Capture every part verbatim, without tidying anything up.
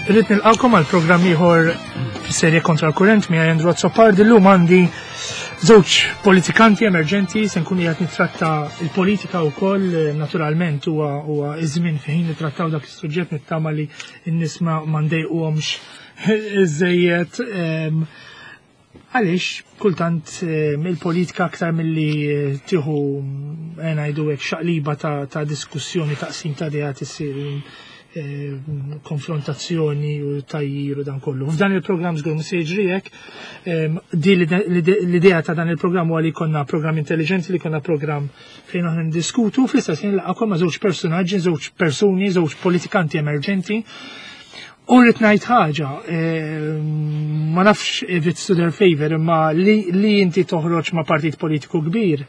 Irrid nilqakom għal programm ieħor fis-serje Kontra l-Kurrent miegħi Andrew Azzopardi. Illum għandi żewġ politikanti emerġenti, se nkun qiegħed nittratta il-politika wkoll, naturalment huwa huwa iż-żmien fejn nittrattaw dak is-suġġett, nittama li n-nies ma ndejquhomx iżejjed, għaliex kultant il-politika aktar milli tieħu, ngħidu hekk, xaqliba ta' diskussjoni, taqsim ta' ideat, issir konfrontazzjoni u tajjir u dan kollu. F'dan il-programm żgur mhux se jiġri hekk. Di l-idea ta' dan il-programm huwa li jkollna programm intelligenti, li jkollna programm fejn aħna ndiskutu, fl-istess ħin laqgħakom ma' żewġ personaġġi, żewġ persuni, żewġ politikanti emerġenti. U rrid ngħid ħaġa, ma nafx if it's to their favor, imma li, li inti toħroġ ma' partit politiku kbir,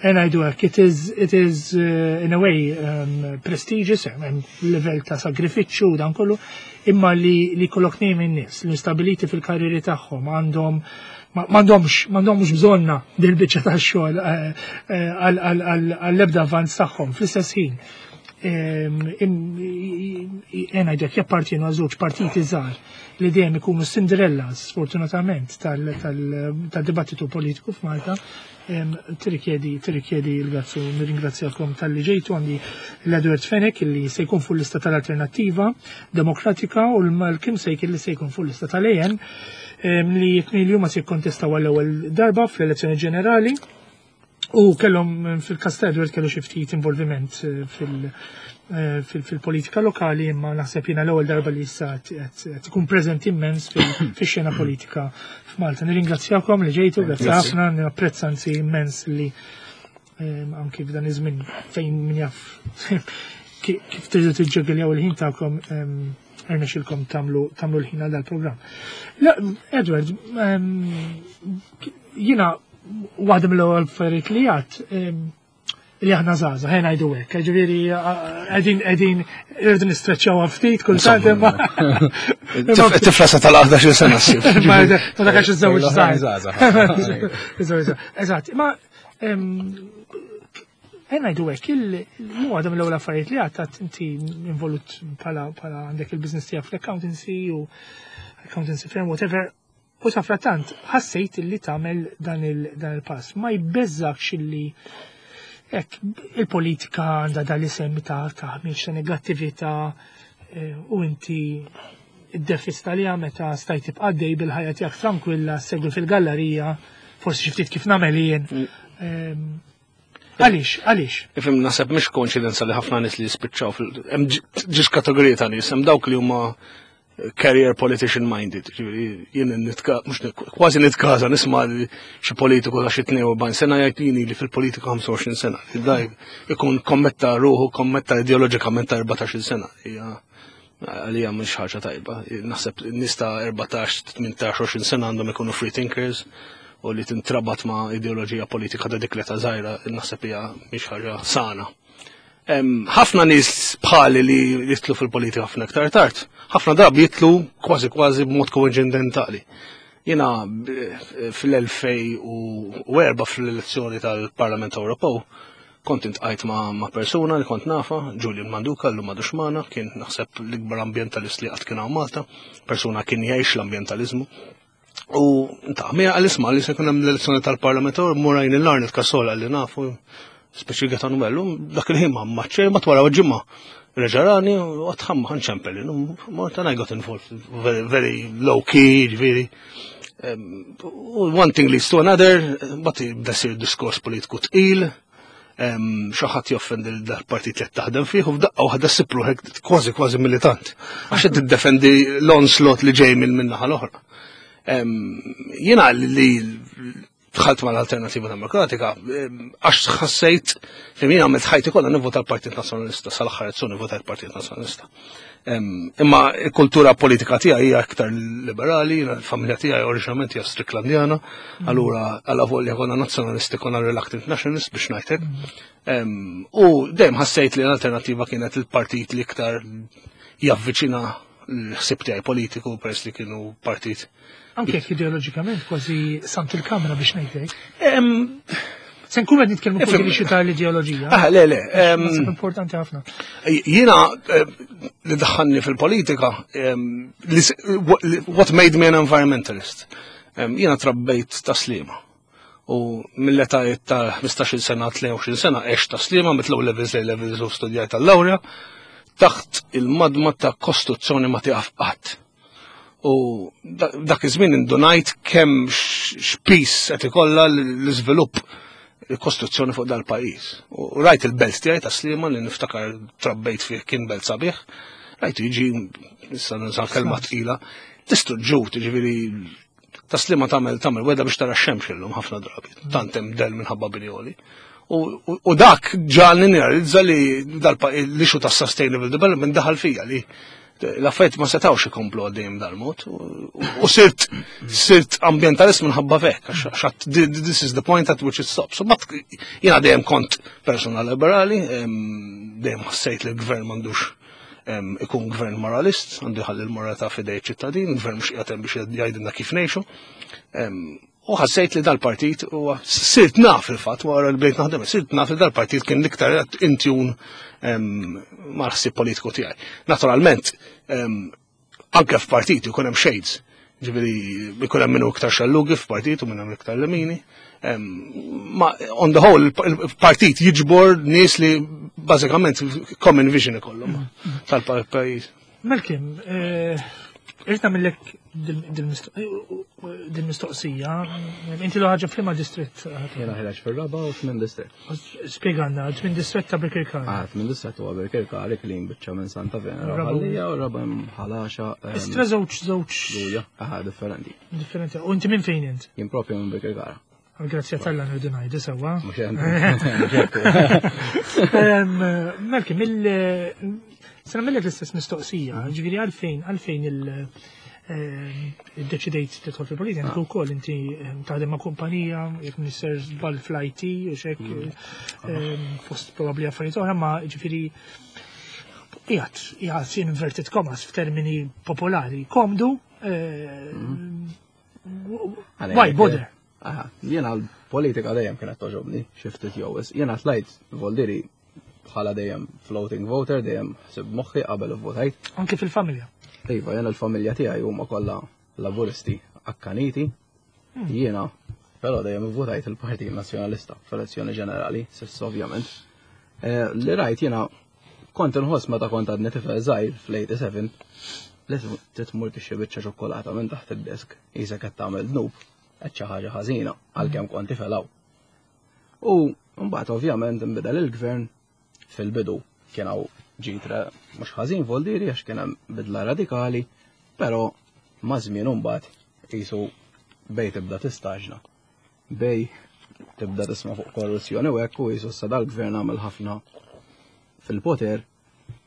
ngħidu hekk, it is, it is uh, in a way um, prestigious, hemm level ta' sagrifiċċju u dan kollu, imma li li kollok nejn in-nies li stabiliti fil-karriri tagħhom, għandhom m'għandhomx m'għandhomx bżonna dil-biċċa tax-xogħol għall-ebda avvanz tagħhom. Fl-istess ħin, ngħidlek, jappartienu għal żewġ partiti żgħar li dejjem ikunu Cinderella, sfortunatament, tal-dibattitu politiku f'Malta, tirrikjedi tirrikjedi l-grazzu. Nirringrazzjakom talli ġejtu. Għandi l-Edward Fenech, li se jkun fuq lista tal-Alternattiva Demokratika, u l-Kim Sejk, li se jkun fuq lista tal-A N, li jitnejn li huma se jikkontestaw għall-ewwel darba fl-elezzjoni ġenerali u kellhom, fil-każ ta' Edward, kellu xi ftit involviment fil- fil-politika lokali, imma naħseb jiena l-ewwel darba li issa qed ikun preżenti immens fix-xena politika f'Malta. Nirringrazzjakom li ġejtu, grazzi ħafna, napprezza anzi immens li anki f'dan iż-żmien fejn min jaf kif tridu tiġġegeljaw il-ħin tagħkom, rnexxilkom tagħmlu tagħmlu l-ħin għal dal-programm. Edward, jiena waħda mill-ewwel affarijiet li għad li aħna żgħażagħ, ħa ngħidu hekk, ġifieri qegħdin qegħdin irridu nistreċċjaw ftit kultant, imma Tifla sa tal-ħdax-il sena ssib. Ma dak għax iżżewġ żgħar. Eżatt, ma ħa ngħidu hekk, il-mu għadha mill-ewwel affarijiet li għadt, inti involut bħala bħala għandek il-business tiegħek fl-accountancy u accountancy firm, whatever, u safratant ħassejt li tagħmel dan il-pass. Ma jbeżżakx illi hekk il-politika għandha dal-isem ta' taħmiġ, ta' negattività, u inti id-defista li meta stajt tibqa' għaddej bil-ħajja tiegħek tranquilla, segwi fil-gallerija, forsi xi ftit kif nagħmel jien. Għaliex, għaliex? Ifhem, naħseb mhix koinċidenza li ħafna nies li jispiċċaw fil hemm ġiex kategoriji ta' nies, hemm dawk li huma career politician minded. Jien nitka, mhux kważi nitkaża nisma' xi politiku ta' xi tnejn u erbgħin sena jgħid jien li fil-politika ħamsa u għoxrin sena. Daj ikun kommetta ruħu, kommetta ideoloġikament ta' erbatax-il sena. Hija għalija mhux ħaġa tajba. Naħseb nies ta' erbatax, tmintax, għoxrin sena għandhom ikunu free thinkers, u li tintrabat ma' ideoloġija politika ta' dik l-età żgħira naħseb hija mhix ħaġa sana. Ħafna nies bħali li jidħlu fil-politika ħafna iktar tard, ħafna drabi jidħlu kważi kważi b'mod koinċidentali. Jiena fl-elfejn u erbgħa, fl-elezzjoni tal-Parlament Ewropew, kont iltqajt ma', ma persuna li kont nafa, Julian Manduca, llum m'għadux magħna, kien naħseb l-ikbar ambientalist li qatt kien hawn Malta, persuna kien jgħix l-ambientalizmu. U ta' mija għal isma li se jkun hemm l-elezzjoni tal-Parlament, murajn il-Arnold Cassola li nafu, speċi Gaetano Bellu, dak il-ħin ma maċċej, ma twara ġimma. Reġarani, u għatħam ħanċempel, ma ta' I got involved, very, very low key, ġifieri. One thing leads to another, but bda sir diskors politiku tqil, xi ħadd joffendi dal-partit li taħdem fih u f'daqqa waħda ssib ruħek kważi kważi militant. Għax qed tiddefendi l-onslaught li ġej minn naħa l-oħra. Jiena li dħalt mal-Alternativa Demokratika għax ħassejt li jien għamilt ħajti kollha nivvota l-Partit Nazzjonalista, sal-aħħar elezzjoni nivvota l-Partit Nazzjonalista. Imma il-kultura politika tiegħi hija aktar liberali, l-familja tiegħi oriġinalment hija Stricklandjana, allura għalla volja konna nazzjonalisti konna reluctant nationalist, biex ngħidlek. U dejjem ħassejt li l-Alternativa kienet il-partit li iktar javviċina l-ħsib tiegħi politiku, peress li kienu partit Anke jekk ideoloġikament kważi samt il-kamra, biex ngħidlek. Se nkun qed nitkellmu fuq l-issue tal-ideoloġija. Ah, le, le. Naħseb importanti ħafna. Jiena eh, li daħħalni fil-politika, em, li s- what made me an environmentalist. Em, Jiena trabbejt Tas-Sliema. U mill-età ta' ħmistax-il sena, tlieta u għoxrin sena, għext Tas-Sliema, mit-O levels, A levels u studjajt tal-lawrja, taħt il-madma ta' kostruzzjoni ma tieqaf qatt. U da- dak iż-żmien indunajt kemm x- x'piż qed ikollha l-iżvilupp, il-kostruzzjoni fuq dal-pajjiż. U rajt il-belt tiegħi Tas-Sliema li niftakar trabbejt fih, kien belt sabiħ, rajt jiġi, issa nuża kelma tqila, distruġġut, ġifieri Tas-Sliema tagħmel tagħmel weda biex tara x-xemx illum ħafna drabi, tant hemm del minħabba bini għoli. U, u, u dak ġagħalni nirrealizza li dal-issue ta' sustainable development daħal fija li l-affarijiet ma setawx ikomplu għaddejjem dal-mod. U, u sirt sirt ambientalist minħabba fek, għax għax this is the point at which it stops. So, but jiena dejjem kont persona liberali, em, dejjem ħassejt li l-gvern m'għandux em, ikun gvern moralist, għandu jħalli l-moralità f'idej ċittadin, gvern mhux qiegħed hemm biex jgħidilna kif ngħixu. Em, U ħassejt li dal-partit, u sirt naf il-fatt, wara li bdejt naħdem, sirt naf li dal-partit kien l-iktar in tune mal-ħsieb politiku tiegħi. Naturalment, em, anke f'partit ikun hemm shades. Ġifieri ikun hemm minnu iktar xellugi f'partit u minn hemm iktar lemini. Em, Ma on the whole, il-partit jiġbor nies li bażikament common vision ikollhom tal-pajjiż. Malcolm, eh, irrid nagħmillek dil-mistoqsija. Inti l ħaġa f'liema distrett? Jiena ħireġ fir-raba' u tmien distrett. Spjegalna, tmien distrett ta' Birkirkara. Ah, tmien distrett huwa Birkirkara, Klin, biċċa minn Santa Venera, Raba' Ħal Lija u raba' hemm Ħal Għaxaq. em, Istra żewġ żewġ Luja, aha, differenti. Differenti. U inti minn fejn int? Jien propju minn Birkirkara. Għal-grazzja t'Alla nirridu ngħidu sewwa. Mhux hemm. Mhux hekk. Em, Malcolm, il- se nagħmellek l-istess mistoqsija, ġifieri għalfejn għalfejn il- em, iddeċidejt tidħol fil-politika, inti wkoll inti em, taħdem ma' kumpanija, jekk nisser żball fl-I T, u xek, em, fost probabbli affarijiet oħra, ma ġifieri qiegħed, qiegħed in inverted commas f'termini popolari, komdu, eh, why bother? Aha, jiena l-politika dejjem kienet togħġobni, xi ftit jew wisq. Jiena tlajt voldiri bħala dejjem floating voter, dejjem ħsib moħħi qabel votajt. Anke fil-familja. Iva, jiena l-familja tiegħi huma kollha Laburisti akkaniti. Jiena però dejjem votajt il-Partit Nazzjonalista f'elezzjoni ġenerali, s'issa ovvjament. Eh, Li rajt jiena kont inħoss meta kont għadni tifel żgħir fl-tmienja u sebgħin li titmur tixtri biċċa ċokolata minn taħt id-desk, qisek qed tagħmel dnub, qed xi ħaġa ħażina għalkemm kont tifel hawn. U mbagħad ovvjament inbidel il-gvern. Fil-bidu kien hawn ġitra mhux ħażin voldiri għax kien hemm bidla radikali, però ma' żmien imbagħad qisu bej tibda tistaġna. Bej tibda tisma' fuq korruzzjoni u hekk, u qisu issa dal-gvern għamel ħafna fil-poter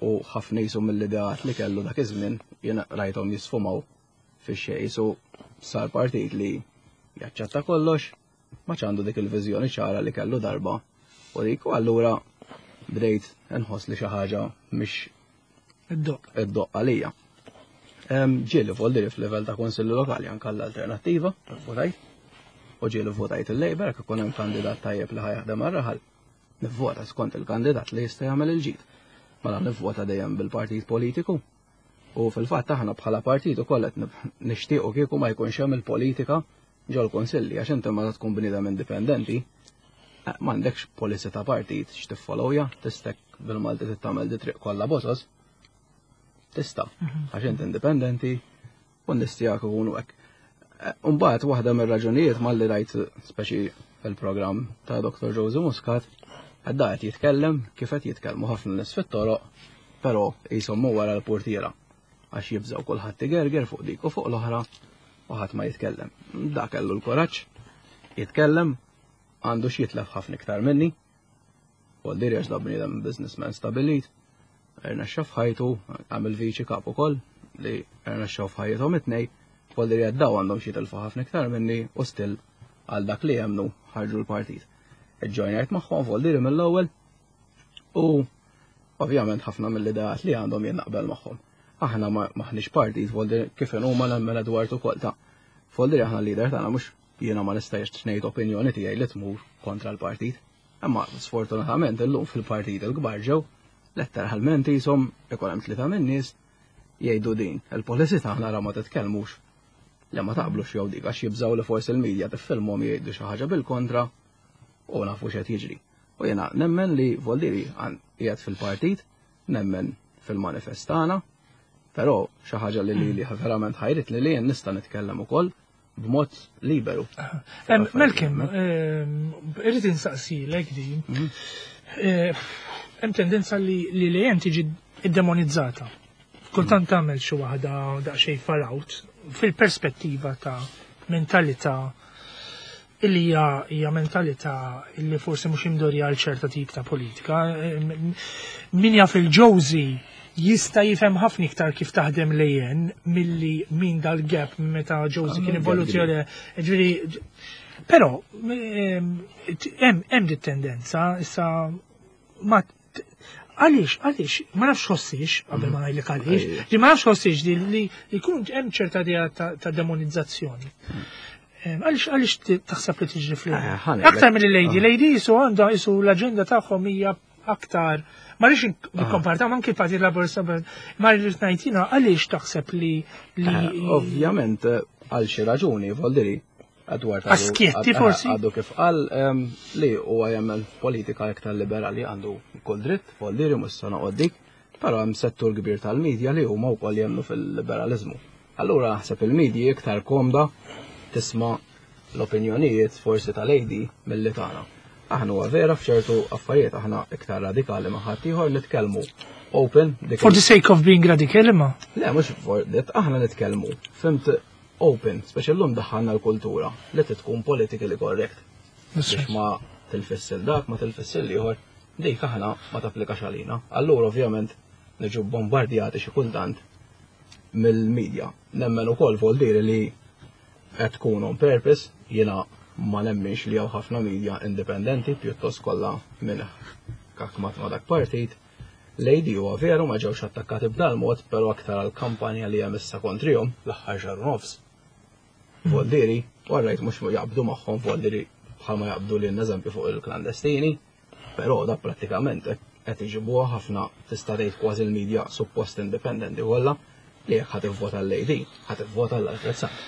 u ħafna qisu mill-ideat li kellu dak iż-żmien jiena rajthom jisfumaw fix-xejn, qisu sar partit li jaċċetta kollox, ma għandu dik il-viżjoni ċara li kellu darba u dik, u allura bdejt nħoss li xi ħaġa mhix Id-doq. id-doqq għalija. Em, Ġieli voldiri f'livell ta' konsilli lokali anke l-alternattiva, votajt, u ġieli votajt il-Labour, jekk ikun hemm kandidat tajjeb li ħa jaħdem għar-raħal. Nivvota skont il-kandidat li jista' jagħmel il-ġid. Mela nivvota dejjem bil-partit politiku. U fil-fatt aħna bħala partit ukoll qed nib- nixtiequ kieku ma jkunx hemm il-politika ġol-konsilli, għax inti meta tkun bniedem indipendenti eh, m'għandekx policy ta' partit x'tiffollowja, tistek bil-Malti tagħmel di triq kollha bosos. Tista', għax inti indipendenti u n-nies tiegħek ikunu hekk. Eh, Mbagħad waħda mir-raġunijiet malli rajt speċi il-programm ta' Doktor Joseph Muscat, għadda qed jitkellem kif qed jitkellmu ħafna nies fit-toroq, però qishom wara l-portiera għax jibżgħu, kulħadd igerger fuq dik u fuq l-oħra u ħadd ma jitkellem. Da kellu l-kuraġġ jitkellem, għandu x'jitlef ħafna iktar minni. Voldiri għax da bniedem businessman stabilit, rnexxa f'ħajtu, għamil viċi kap ukoll li rnexxew f'ħajjithom it-tnejn, voldiri għaddaw għandhom xi jitilfu ħafna iktar minni u still għal dak li jemnu ħarġu l-partit. Iġġojnjajt magħhom voldiri mill-ewwel u ovvjament ħafna mill-ideat li għandhom jien naqbel magħhom. Aħna ma maħniex partit, voldiri kif huma nemmen Edward ukoll ta' voldiri aħna l-leader tagħna mhux Jiena ma nistax ngħid opinjoni tiegħi li tmur kontra l-partit. Imma sfortunatament illum fil-partit il-kbar ġew letteralment jisom ikun hemm tlieta min-nies jgħidu din. Il-policy tagħna ra ma titkellmux li ma taqblux jew dik għax jibżgħu li forsi l-medja tiffilmhom jgħidu xi ħaġa bil-kontra u nafu x'qed jiġri. U jiena nemmen li Voldiri qiegħed fil-partit, nemmen fil-manifest tagħna, però xi ħaġa li li verament ħajrit li li jien nista' nitkellem ukoll b'mod liberu. Malcolm, irrid insaqsilek din. Hemm tendenza li l-A N tiġi iddemonizzata. Kultant tagħmel xi waħda daqsxejn far out fil-perspettiva ta' mentalità illi hija hija mentalità illi forsi mhux imdorja għal ċerta tip ta' politika. Min jaf il-Josie jista' jifhem ħafna iktar kif taħdem l-A N milli min dal-gap meta Josie kien involuzzjoni. Ġifieri, però hemm dit tendenza issa ma għaliex, għaliex, ma nafx ħossix, qabel ma ngħidlek għaliex, li ma nafx ħossix li li jkun hemm ċerta idea ta' demonizzazzjoni. Għaliex għaliex taħseb li tiġri fl Aktar mill l-A D, l-A D jisu għandha jisu l-aġenda tagħhom hija aktar. Ma rridx nikkomparta anki l-Partit Laburista, ma rridx ngħid għaliex taħseb li Ovvjament għal xi raġuni, Voldiri, Edward Askietti forsi? Għadu kif qal li huwa jagħmel politika iktar liberali, għandu kull dritt, Voldiri, mhux se noqgħod dik, però hemm settur kbir tal-medja li huma wkoll jemmnu fil-liberalizmu. Allura naħseb il-medja iktar komda tisma' l-opinjonijiet forsi tal-A D mill-li tagħna. Aħna huwa vera f'ċertu affarijiet aħna iktar radikali ma' ħadd ieħor, nitkellmu open. For the sake of being radical imma? Le, mhux for that, aħna nitkellmu. Fhimt, open, speċi llum daħħalna l-kultura li tkun politically correct. Biex ma tilfissil dak, ma tilfissil ieħor, dik aħna ma tapplikax għalina. Allura ovvjament niġu bombardjati xi kultant mill-medja. Nemmen ukoll Voldiri li qed tkun on purpose, jiena ma nemminx li hawn ħafna media indipendenti, pjuttost kollha minn kakmat ma dak partit. L-A D huwa veru ma ġewx attakkati b'dal mod, però aktar għal kampanja li hemm issa kontrihom l-aħħar xahar u nofs. Voldiri, alright, mhux jaqbdu magħhom Voldiri bħalma jaqbdu lil eżempju fuq il-klandestini, però da prattikament qed iġibuha ħafna, tista' tgħid kważi l-media suppost indipendenti kollha li jekk ħa tivvota l-A D, ħa tivvota l-Alfred Sant.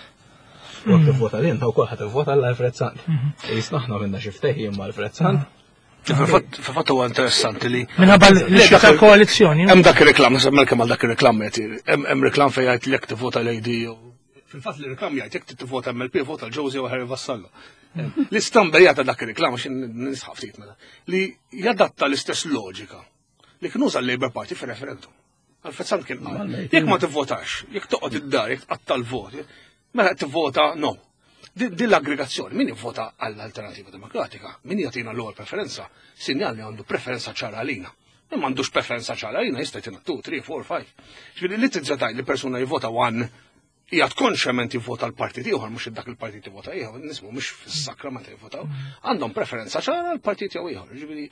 U jekk tivvota lilna wkoll ħa tivvota l-Alfred Sant. Jisna aħna minna xi ftehim ma' Alfred Sant. Fil-fatt huwa interessanti li Minħabba l-issue tal-koalizzjoni. Hemm dak ir-reklam, naħseb Malcolm għal dak ir-reklam qed hemm reklam fejn jgħid li jekk tivvota l-A D. Fil-fatt li reklam jgħid jekk tivvota M L P vota l-Josie u Harry Vassallo. L-istamperija ta' dak ir-reklam għax nisħab ftit mela li jadatta l-istess loġika li kien uża l-Labour Party fir-referendum. Alfred Sant kien qal, jekk ma tivvotax, jekk toqgħod id-dar, jekk tqatta' l-vot, mela tivvota no. Din l-aggregazzjoni, min jivvota għall-Alternativa Demokratika, min jagħtina l-ewwel preferenza, sinjal li għandu preferenza ċara għalina. Min m'għandux preferenza ċara għalina jista' jtina two, three, four, five. Ġifieri li tiżżadaj li persuna jivvota one jgħat konxjament jivvota l-partit ieħor, mhux dak il-partit jivvota ieħor, nismu mhux fis-sakra meta jivvotaw, għandhom preferenza ċara l-partit jew ieħor. Ġifieri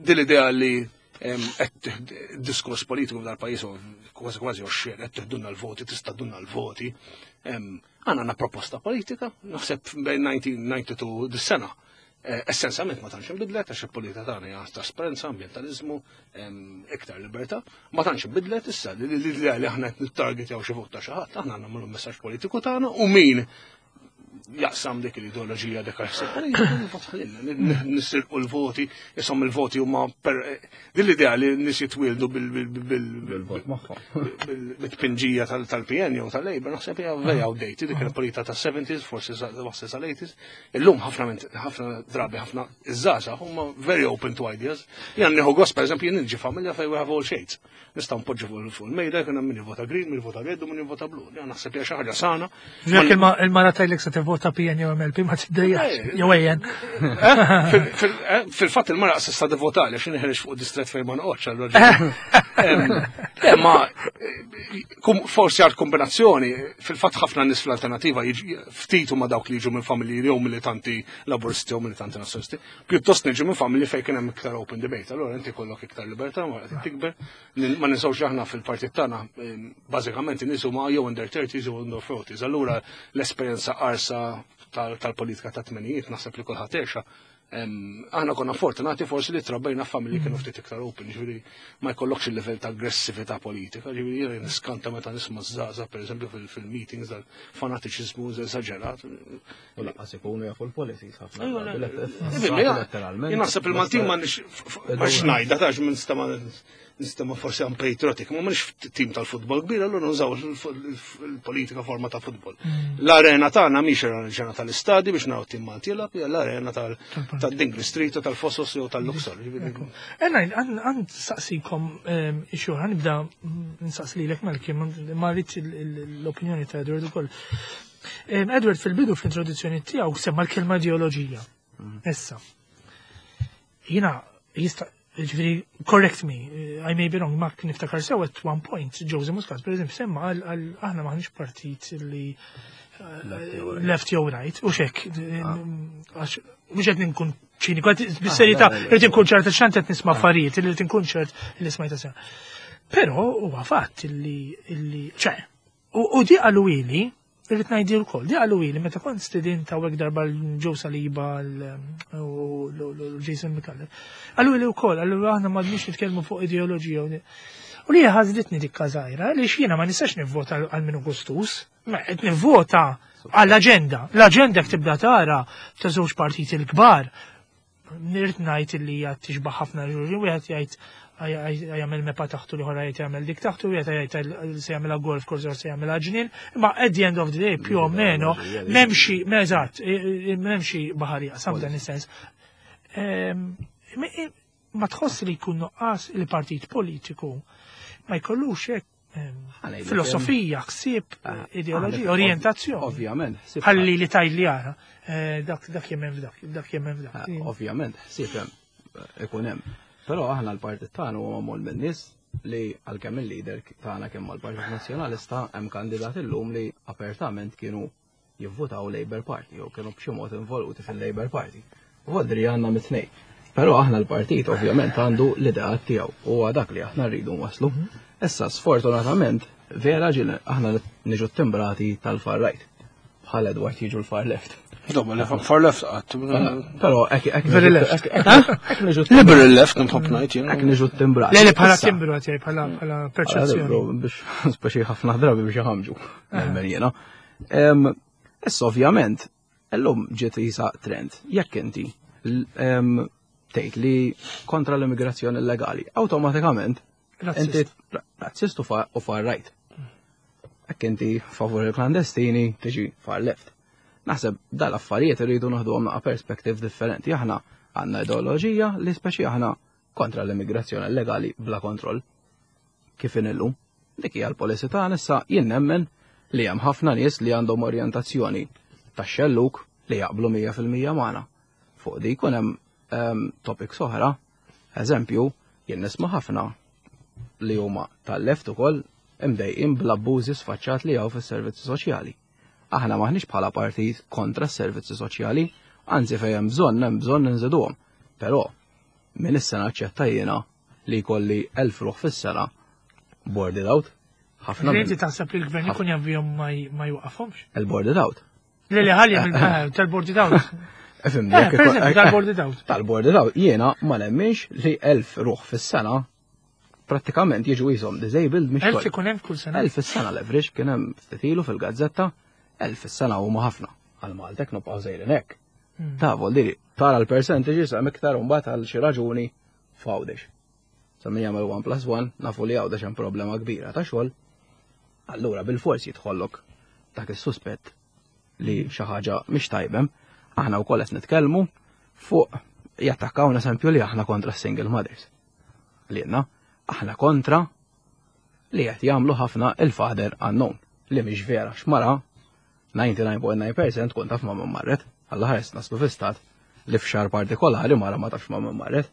din l-idea li qed diskors politiku f'dal pajjiż kważi kważi oxxen, qed tiħdunna l-voti, tista' dunna l-voti. Għandna għandna proposta politika, naħseb bejn elf disa' mija u tnejn u disgħin dis-sena. Essenzjalment ma tantx inbidlet għax il-politika tagħna hija trasparenza, ambjentaliżmu, iktar libertà, ma tantx inbidlet. Issa li l-idea li aħna qed nittargetjaw xi vot ta' xi ħadd, aħna nagħmlu messaġġ politiku tagħna u min jaqsam dik l-ideoloġija, dik għal nisirqu l-voti, jisom il-voti huma per din l-idea li nies jitwildu bil-vot magħhom. bil-tpinġija tal-P N jew tal-Labour, naħseb hija very outdated, dik il-politika tas-seventies, forsi wassi sal-eighties. Illum ħafna ħafna drabi ħafna iż-żgħażagħ huma very open to ideas. Jien nieħu gost, pereżempju, jien niġi familja fejn we have all shades. Nistgħu npoġġu fuq il-mejda jkun hemm min jivvota green, min jivvota red u min jivvota blu. Jien naħseb hija xi ħaġa sana. Jekk il-mara tgħidlek se tivvota P N jew M L P ma tiddejjax, jew A N. Fil-fatt il-mara s'issa tivvota għax inħereġ fuq distret fejn ma noqgħodx. Le, ma kum- forsi għal kombinazzjoni, fil-fatt ħafna nies fl-alternativa jiġi- ftit huma dawk li jiġu minn familji jew militanti laburisti jew militanti nazzjonalisti. Pjuttost niġu minn familji fejn kien hemm iktar open debate. Allura inti kollok iktar libertà, ma qed tikber. Nin- Ma ninsewx aħna fil-partit tagħna em, bażikament in-nies huma jew in their thirties jew in their forties. Allura l-esperjenza qarsa tal- tal-politika ta' tmenijiet naħseb li kulħadd għexha. Em, Aħna konna fortunati forsi li trabbejna familji kienu ftit iktar open, ġifieri ma jkollokx il-level ta' aggressività politika, ġifieri jiena niskanta meta nisma' żgħażagħ pereżempju fil- fil-meetings dal-fanatiċiżmu eżaġerat. U lanqas ikunu jafu l-policies ħafna. Ejwa, drabi, le, let- le, letteralment. Jien naħseb il-Maltin ma nix ma xnajda tax minn nistama nistama forsi unpatriotic, ma mhux tim tal-futbol kbir, allura nużaw il-politika forma ta' futbol. L-arena tagħna mhix l-arena tal-istadi biex naraw tim Malti jilgħab, hija l-arena tal-Dingley Street u tal-Fossos jew tal-Luxor. Ena, għan saqsikom xur, għan nibda nsaqsi lilek Malcolm, ma rridx l-opinjoni ta' Edward ukoll. Em, Edward fil-bidu fl-introduzzjoni tiegħu semma l-kelma ideoloġija. Issa. Jiena jista' ġifieri, correct me, I may be wrong, ma niftakar sew at one point, Joseph Muscat, per eżempju, semma għal għal aħna maħniex partit li left jew right, u xek, għax mhux qed ninkun ċiniku, qed bis-serjetà le, le, le. rrid inkun ċert x'ant qed nisma' affarijiet, li rrid inkun ċert li smajta sew. Però huwa fatt illi illi ċe, u u di qalu ili, irrid ngħidi wkoll, di qalu ili meta kont stedin ta' hekk darba l-Joe Saliba l- u l-Jason Micallef. Qalu ili wkoll, qalu aħna m'għadniex nitkellmu fuq ideoloġija u U li ħażritni dik każajra, li jiena ma nistax nivvota għal minu gustus, ma qed nivvota għall-aġenda. L-aġenda jekk tibda tara ta' żewġ partiti l-kbar. Nirrid ngħid li hija tixbaħ ħafna ġurġin, wieħed jgħid jagħmel mepa taħtu li ħora jgħid jagħmel dik taħtu, wieħed jgħid se jagħmilha golf course jew se jagħmilha ġnien, imma at the end of the day più o meno m'hemmx eżatt, m'hemmx baħar jaqsam dan is-sens. Ehm, Ma tħoss li jkun nuqqas il-partit politiku ma jkollux hekk ehm, Ħanejlek, filosofija, ħsieb, Ah, ideoloġija, ah, orientazzjoni. Ovvjament. ħsieb- Ħalli li tajt li jara, eh, dak dak jemmen f'dak, dak jemmen f'dak. Ah, Ovvjament, ħsieb hemm ikun hemm. Però aħna l-partit tagħna huwa magħmul minn nies li għalkemm il-leader tagħna kemm mal-Partit Nazzjonalista hemm kandidat illum li apertament kienu jivvutaw Labour Party jew kienu b'xi mod involuti fil-Labour Party. Voldri għandna mit-tnejn. Però aħna l-partit ovvjament għandu l-ideat tiegħu u huwa dak li aħna rridu nwaslu. Issa sfortunatament vera ġil aħna niġu timbrati tal-far right. Bħal Edward jiġu l-far left. Doba, li far left qatt. Però hekk hekk Very left. hekk- hekk niġu Liberal left nħobb ngħid jien. hekk niġu timbrati. Le li bħala Issa, timbru għatjaj, bħala bħala perċezzjoni. Bro, biex speċi ħafna drabi biex iħamġu. Nemmen jiena. Em, Issa ovvjament, illum ġiet jisa trend. Jekk inti l- em, tgħid li kontra l-immigrazzjoni illegali, awtomatikament inti Razzist. razzist u far u far right. Jekk inti favur il-klandestini, tiġi far left. Naħseb dal-affarijiet irridu naħduhom naqa' perspective differenti. Aħna għandna ideoloġija li speċi aħna kontra l-immigrazzjoni illegali bla kontroll. Kif illum. Dik hija l-policy tagħna issa jien nemmen li hemm ħafna nies li għandhom orjentazzjoni tax-xelluk li jaqblu mija fil-mija magħna. Fuq di jkun hemm em, topics oħra, eżempju, jien nisma' ħafna li huma tal-left ukoll imdejqin bl-abbużi sfaċċat li hawn fis-servizzi soċjali. Aħna maħniex bħala partit kontra s-servizzi soċjali, anzi fejn hemm bżonn hemm bżonn inżiduhom. Però min issa naċċetta jiena li jkolli elf ruħ fis-sena boarded out. Ħafna Inti minn taħseb li l-gvern ikun jaf ma j- ma jwaqafhomx? il-boarded out. Le li ħalli mill- tal-boarded out. Ifhimni, Eh, jekk per ikun- eżempju, tal-boarded out. Tal-boarded out, jiena ma nemminx li elf ruħ fis-sena prattikament jiġu jisom disabled mhix Elf ikun hemm kull sena. Elf fis-sena l-average kien hemm ftit ilu fil-gazzetta, elf fis-sena huma ħafna. Għal Maltek nibqgħu sejrin hekk. Hmm. Ta' vol diri, tara l-percentage hemm iktar mbagħad għal xi raġuni f'Għawdex. Sa min jagħmel one plus one, nafu li Għawdex hemm problema kbira ta' xogħol. Allura bil-forsi jidħollok dak is-suspett li xi ħaġa mhix tajbem. Aħna wkoll qed nitkellmu fuq jattakkaw eżempju li aħna kontra single mothers. Li għedna, aħna kontra li qed jagħmlu ħafna il-father unknown li mhix vera x'mara disgħa u disgħin punt disgħa fil-mija tkun taf ma' min marret. Alla ħares naslu fi stat li f'xahar partikolari mara ma tafx ma' min marret.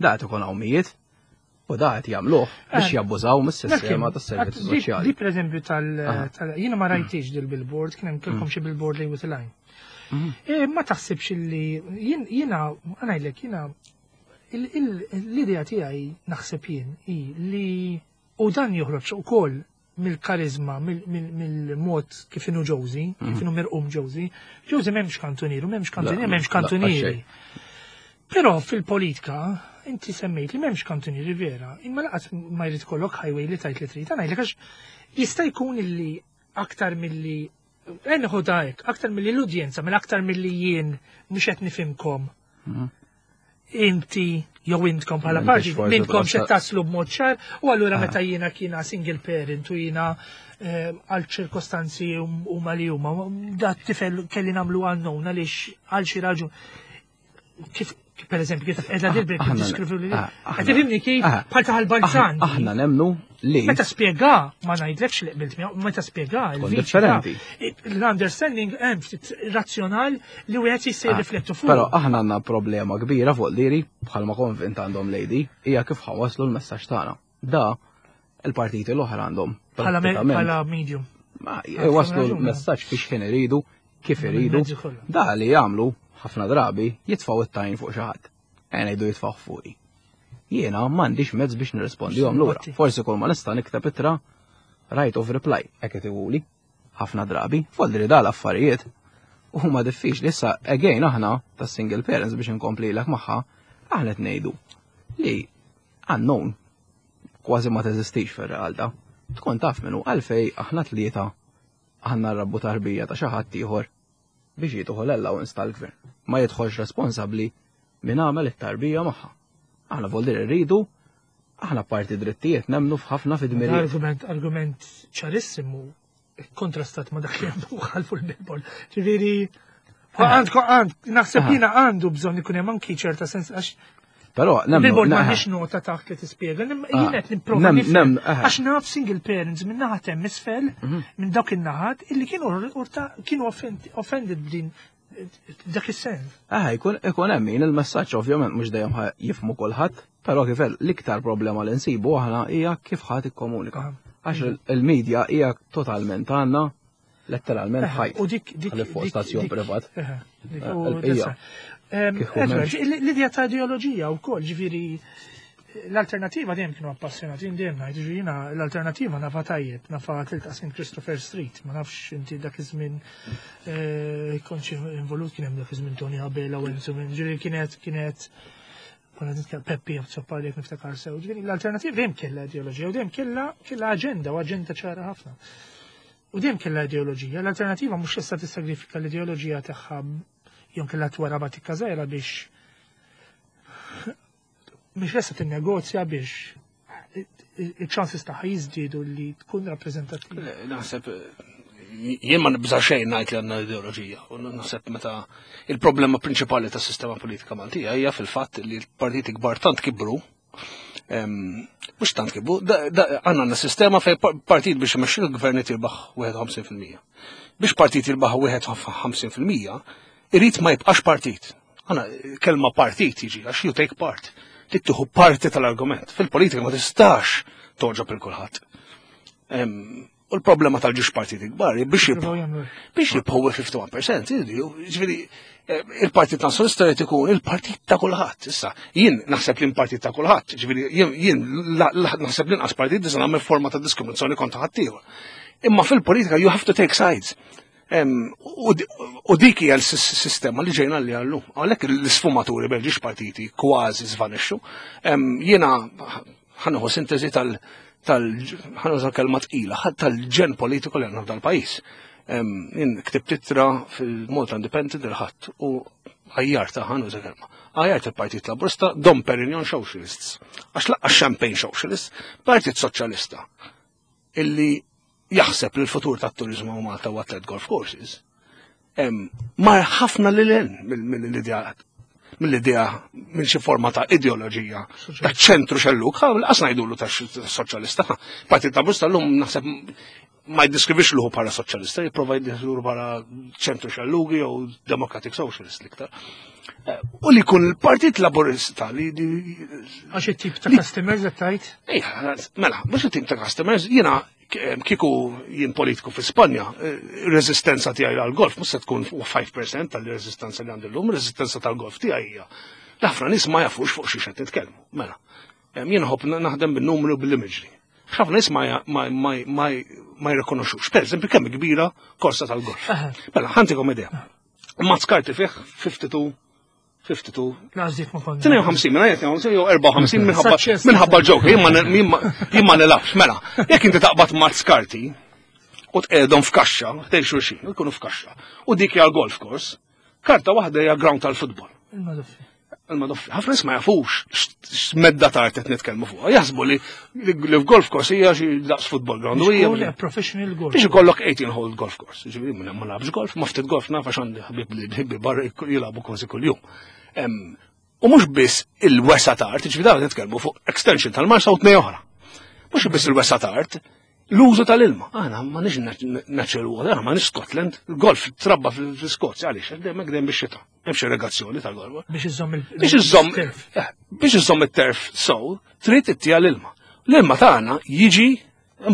Da qed ikun hawn mijiet U da qed jagħmluh biex Eh, jabbużaw mis-sistema tas-servizzi Di- soċjali. Di per eżempju tal, tal jiena ma rajtix dil-billboard, kien hemm kellkom xi billboard li with line. Mhm. E, ma taħsibx li jien jiena ngħidlek jiena il- il- l-idea tiegħi naħseb jien hi li u dan joħroġ ukoll mill-karizma, mill- mill- mill-mod kif inhu Josie, kif inhu mirqum Josie. Josie m'hemmx kantunieri, m'hemmx kantunieri, La, m'hemmx la, kantunieri. xejn. Però fil-politika, inti semmejt li m'hemmx kantunieri vera, imma lanqas ma jrid ikollok highway li tajt li trid. Ngħidlek għax jista' jkun illi aktar milli Enħu hekk, aktar milli l-udjenza, mill aktar milli jien mhux qed nifhimkom. Inti jew intkom bħala M'intix parti, forsi minnkom twassal- xed taslu b'mod ċar, u allura Ah. meta jiena kiena single parent u jiena eh, għal ċirkostanzi huma li huma, da tifel kelli nagħmlu unknown għaliex għal xi raġun. Kif per eżempju, kif edha dilbek Aħna- diskrivu li. ah, aħna- Qed tifhimni kif ah, bħal taħal balzan. Aħna nemnu li Meta spjega, ma ngħidlekx li qbilt miegħu, meta spjega Tkun il-viċi differenti. ta' L-understanding hemm ftit razzjonal li wieħed jista' Ah, jirriflettu fuq. Però aħna għandna problema kbira fuq diri bħalma konvint għandhom lady hija kif ħa nwasslu l-messaġġ tagħna. Da il-partiti l-oħra għandhom bħala me- prattikament bħala medium. ma jwaslu raġuni. l-messaġġ fiex ħin iridu, kif iridu. Mezzi kollha. Da li jagħmlu ħafna drabi jitfgħu it-tajn fuq xi ħadd. Ejja ngħidu jitfgħu fuqi. Jiena m'għandix mezz biex nirrispondihom lura. Simpati. Forsi kull ma nista' nikteb ittra right of reply, hekk qed iquli. Ħafna drabi, foldri da l-affarijiet. U huma diffiċli issa again aħna tas single parents biex inkomplilek magħha, aħna qed ngħidu li unknown kważi ma teżistix fir-realtà. Tkun taf minnu għalfej aħna tlieta aħna rrabbu tarbija ta' xi ħadd ieħor biex jieħu l-allowance tal-gvern. Ma jidħolx responsabbli min għamel it-tarbija magħha. Aħna voldir irridu, aħna parti drittijiet nemnu f'ħafna fid-dmirijiet. Argument, argument ċarissimu kontrastat ma dak li għandu ħalfu l-billboard. Ġifieri, għandkom għand, naħseb Aha. jiena għandu bżonn ikun hemm anki ċerta sens għax Però nemnu. Billboard neħe. m'għandix nota taħt li tispjega, nim- Ah. jien qed nipprova Nem- nifhem. nem, aha. Għax naf single parents minn naħat hemm isfel, Mhm. minn dawk in-naħat illi kienu urta kienu offend- offended b'din dak is-sens. Ah, ikun ikun hemm min il-messaġġ ovvjament mhux dejjem ħa jifhmu kulħadd, però kif l-iktar problema li nsibu aħna hija kif ħadd ikkomunika. Ah. Għax il- il-medja hija totalment għandna letteralment ħajt. U dik dik Ħalli fuq dik- stazzjon dik- privat. eħe, dik- Eh, u il-bqija. that's right. Em, Kieku Edward, m'hemmx. L-idea ta' ideoloġija u koll, ġifieri, l-alternativa dejjem kienu appassionati, jien dejjem ngħid, ġifieri jiena l-alternativa nafa tajjeb, nafa tilta' Saint Christopher Street, ma nafx inti dak iż-żmien eh, kontx involut kien hemm dak iż-żmien Tony Abela u Enzo, ġifieri kienet kienet konna nitkellem Peppi Azzopardi jekk niftakar sew. Ġifieri l-alternativa dejjem kellha ideoloġija u dejjem kellha kellha aġenda u aġenda ċara ħafna. U dejjem kellha ideoloġija. L-alternativa mhux issa tissagrifika l-ideoloġija tagħha jew kellha twara batikka żgħira biex mhix issa tinnegozja biex il-ċansis tagħha jiżdiedu li tkun rappreżentattiva. Naħseb jien ma nibża xejn ngħid li għandna ideoloġija. U naħseb meta il-problema prinċipali tas-sistema politika Maltija hija fil-fatt li l-partiti kbar tant kibru em, mhux tant kibru, da- da- għandna għandna sistema fejn par- partit biex imexxi l-gvern jirbaħ wieħed u ħamsin fil-mija. Biex partit jirbaħ wieħed u ħamsin fil-mija, irid ma jibqax partit. Għana kelma partit jiġi għax you take part. Trid tieħu parti tal-argument. Fil-politika ma tistax toġob il kulħadd. Em, U l-problema tal-ġiex partiti kbar biex Jippruvaw jibqgħu jagħmlu hekk. biex jibqgħu wieħed u ħamsin fil-mija, ġifieri eh, il-Partit Nazzjonalista jrid ikun il-partit ta' kulħadd. Issa, jien naħseb li partit ta' kulħadd, ġifieri jien jien la- la- naħseb li inqas partit nista' nagħmel forma ta' diskriminazzjoni kontra ħaddieħor. Imma fil-politika you have to take sides. Em, U di- u dik hija l-sistema li ġejna li għallu. Għalhekk l-isfumaturi bejn ġiex partiti kważi żvanixxu. Em, Jiena ħa nieħu sintesi tal tal ħa nuża kelma tqila, tal-ġen politiku li għandna f'dal-pajjiż. Em, Jien ktibt ittra fil-Malta Independent il-ħadd u għajjarta ħa nuża kelma. Għajjart il-Partit Laburista Dom Perignon Socialists. Għax lanqas Champagne Socialists, Partit Soċjalista illi jaħseb li l-futur tat-turizmu u Malta huwa tliet golf courses. Em, Mar ħafna lil hinn mill-ideat. mill-idea minn xi forma ta' ideoloġija ta' ċentru xelluk, qas ngħidulu ta' soċjalista. Partit Laburista llum naħseb ma jiddiskrivix luħu bħala soċjalista, jipprova jiddeskrivu bħala ċentru xellugi jew Democratic Socialist l-iktar. U li jkun il-Partit Laburista li. Għax it-tip ta' customers qed tgħid? Ejja, mela, mhux it-tip ta' customers, jiena kieku jien politiku fi Spanja, reżistenza tiegħi għal-golf mhux se tkun five percent tal-reżistenza li għandi llum, reżistenza tal-golf tiegħi hija. Ħafna nies ma jafux fuq xi qed titkellmu. Mela, jien nħobb naħdem bin-numru, bil-imagery. Ħafna nies ma jirrikonoxux. Per eżempju, kemm kbira korsa tal-golf. Mela, ħa ntikom idea. Mazz karti fih tnejn u ħamsin tnejn u ħamsin, tnejn u ħamsin, minna jgħet jew erbgħa u ħamsin minħabba ġok, jien ma nilgħabx, mela, jekk inti taqbad mazz karti u tqegħedhom f'kaxxa, ħdejn xulxin, jkunu f'kaxxa, u dik hija golf course, karta waħda hija ground tal-futbol. Il-madoffi. Ħafna nies ma jafux x'medda ta' art qed nitkellmu fuqha. Jaħsbu li li f'golf course hija xi daqs football ground. U hija professional golf. Biex ikollok eighteen hole golf course. Ġifieri ma nilgħabx golf, ma ftit golf naf għax għandi ħbib li barra jilagħbu kważi kuljum. U mhux biss il-wesa ta' art, ġifieri dawn nitkellmu fuq extension tal-Marsa u tnej oħra. Mhux biss il-wesa ta' art, l-użu tal-ilma. Aħna ma nix natural water, aħna ma nix Scotland. Il-golf trabba fil-Skozja, għaliex, dejjem dejjem bix-xita. Hemmx irrigazzjoni tal-golf. Biex iżomm il Biex iżomm eh, biex iżomm it-turf so, trid ittija l-ilma. L-ilma tagħna jiġi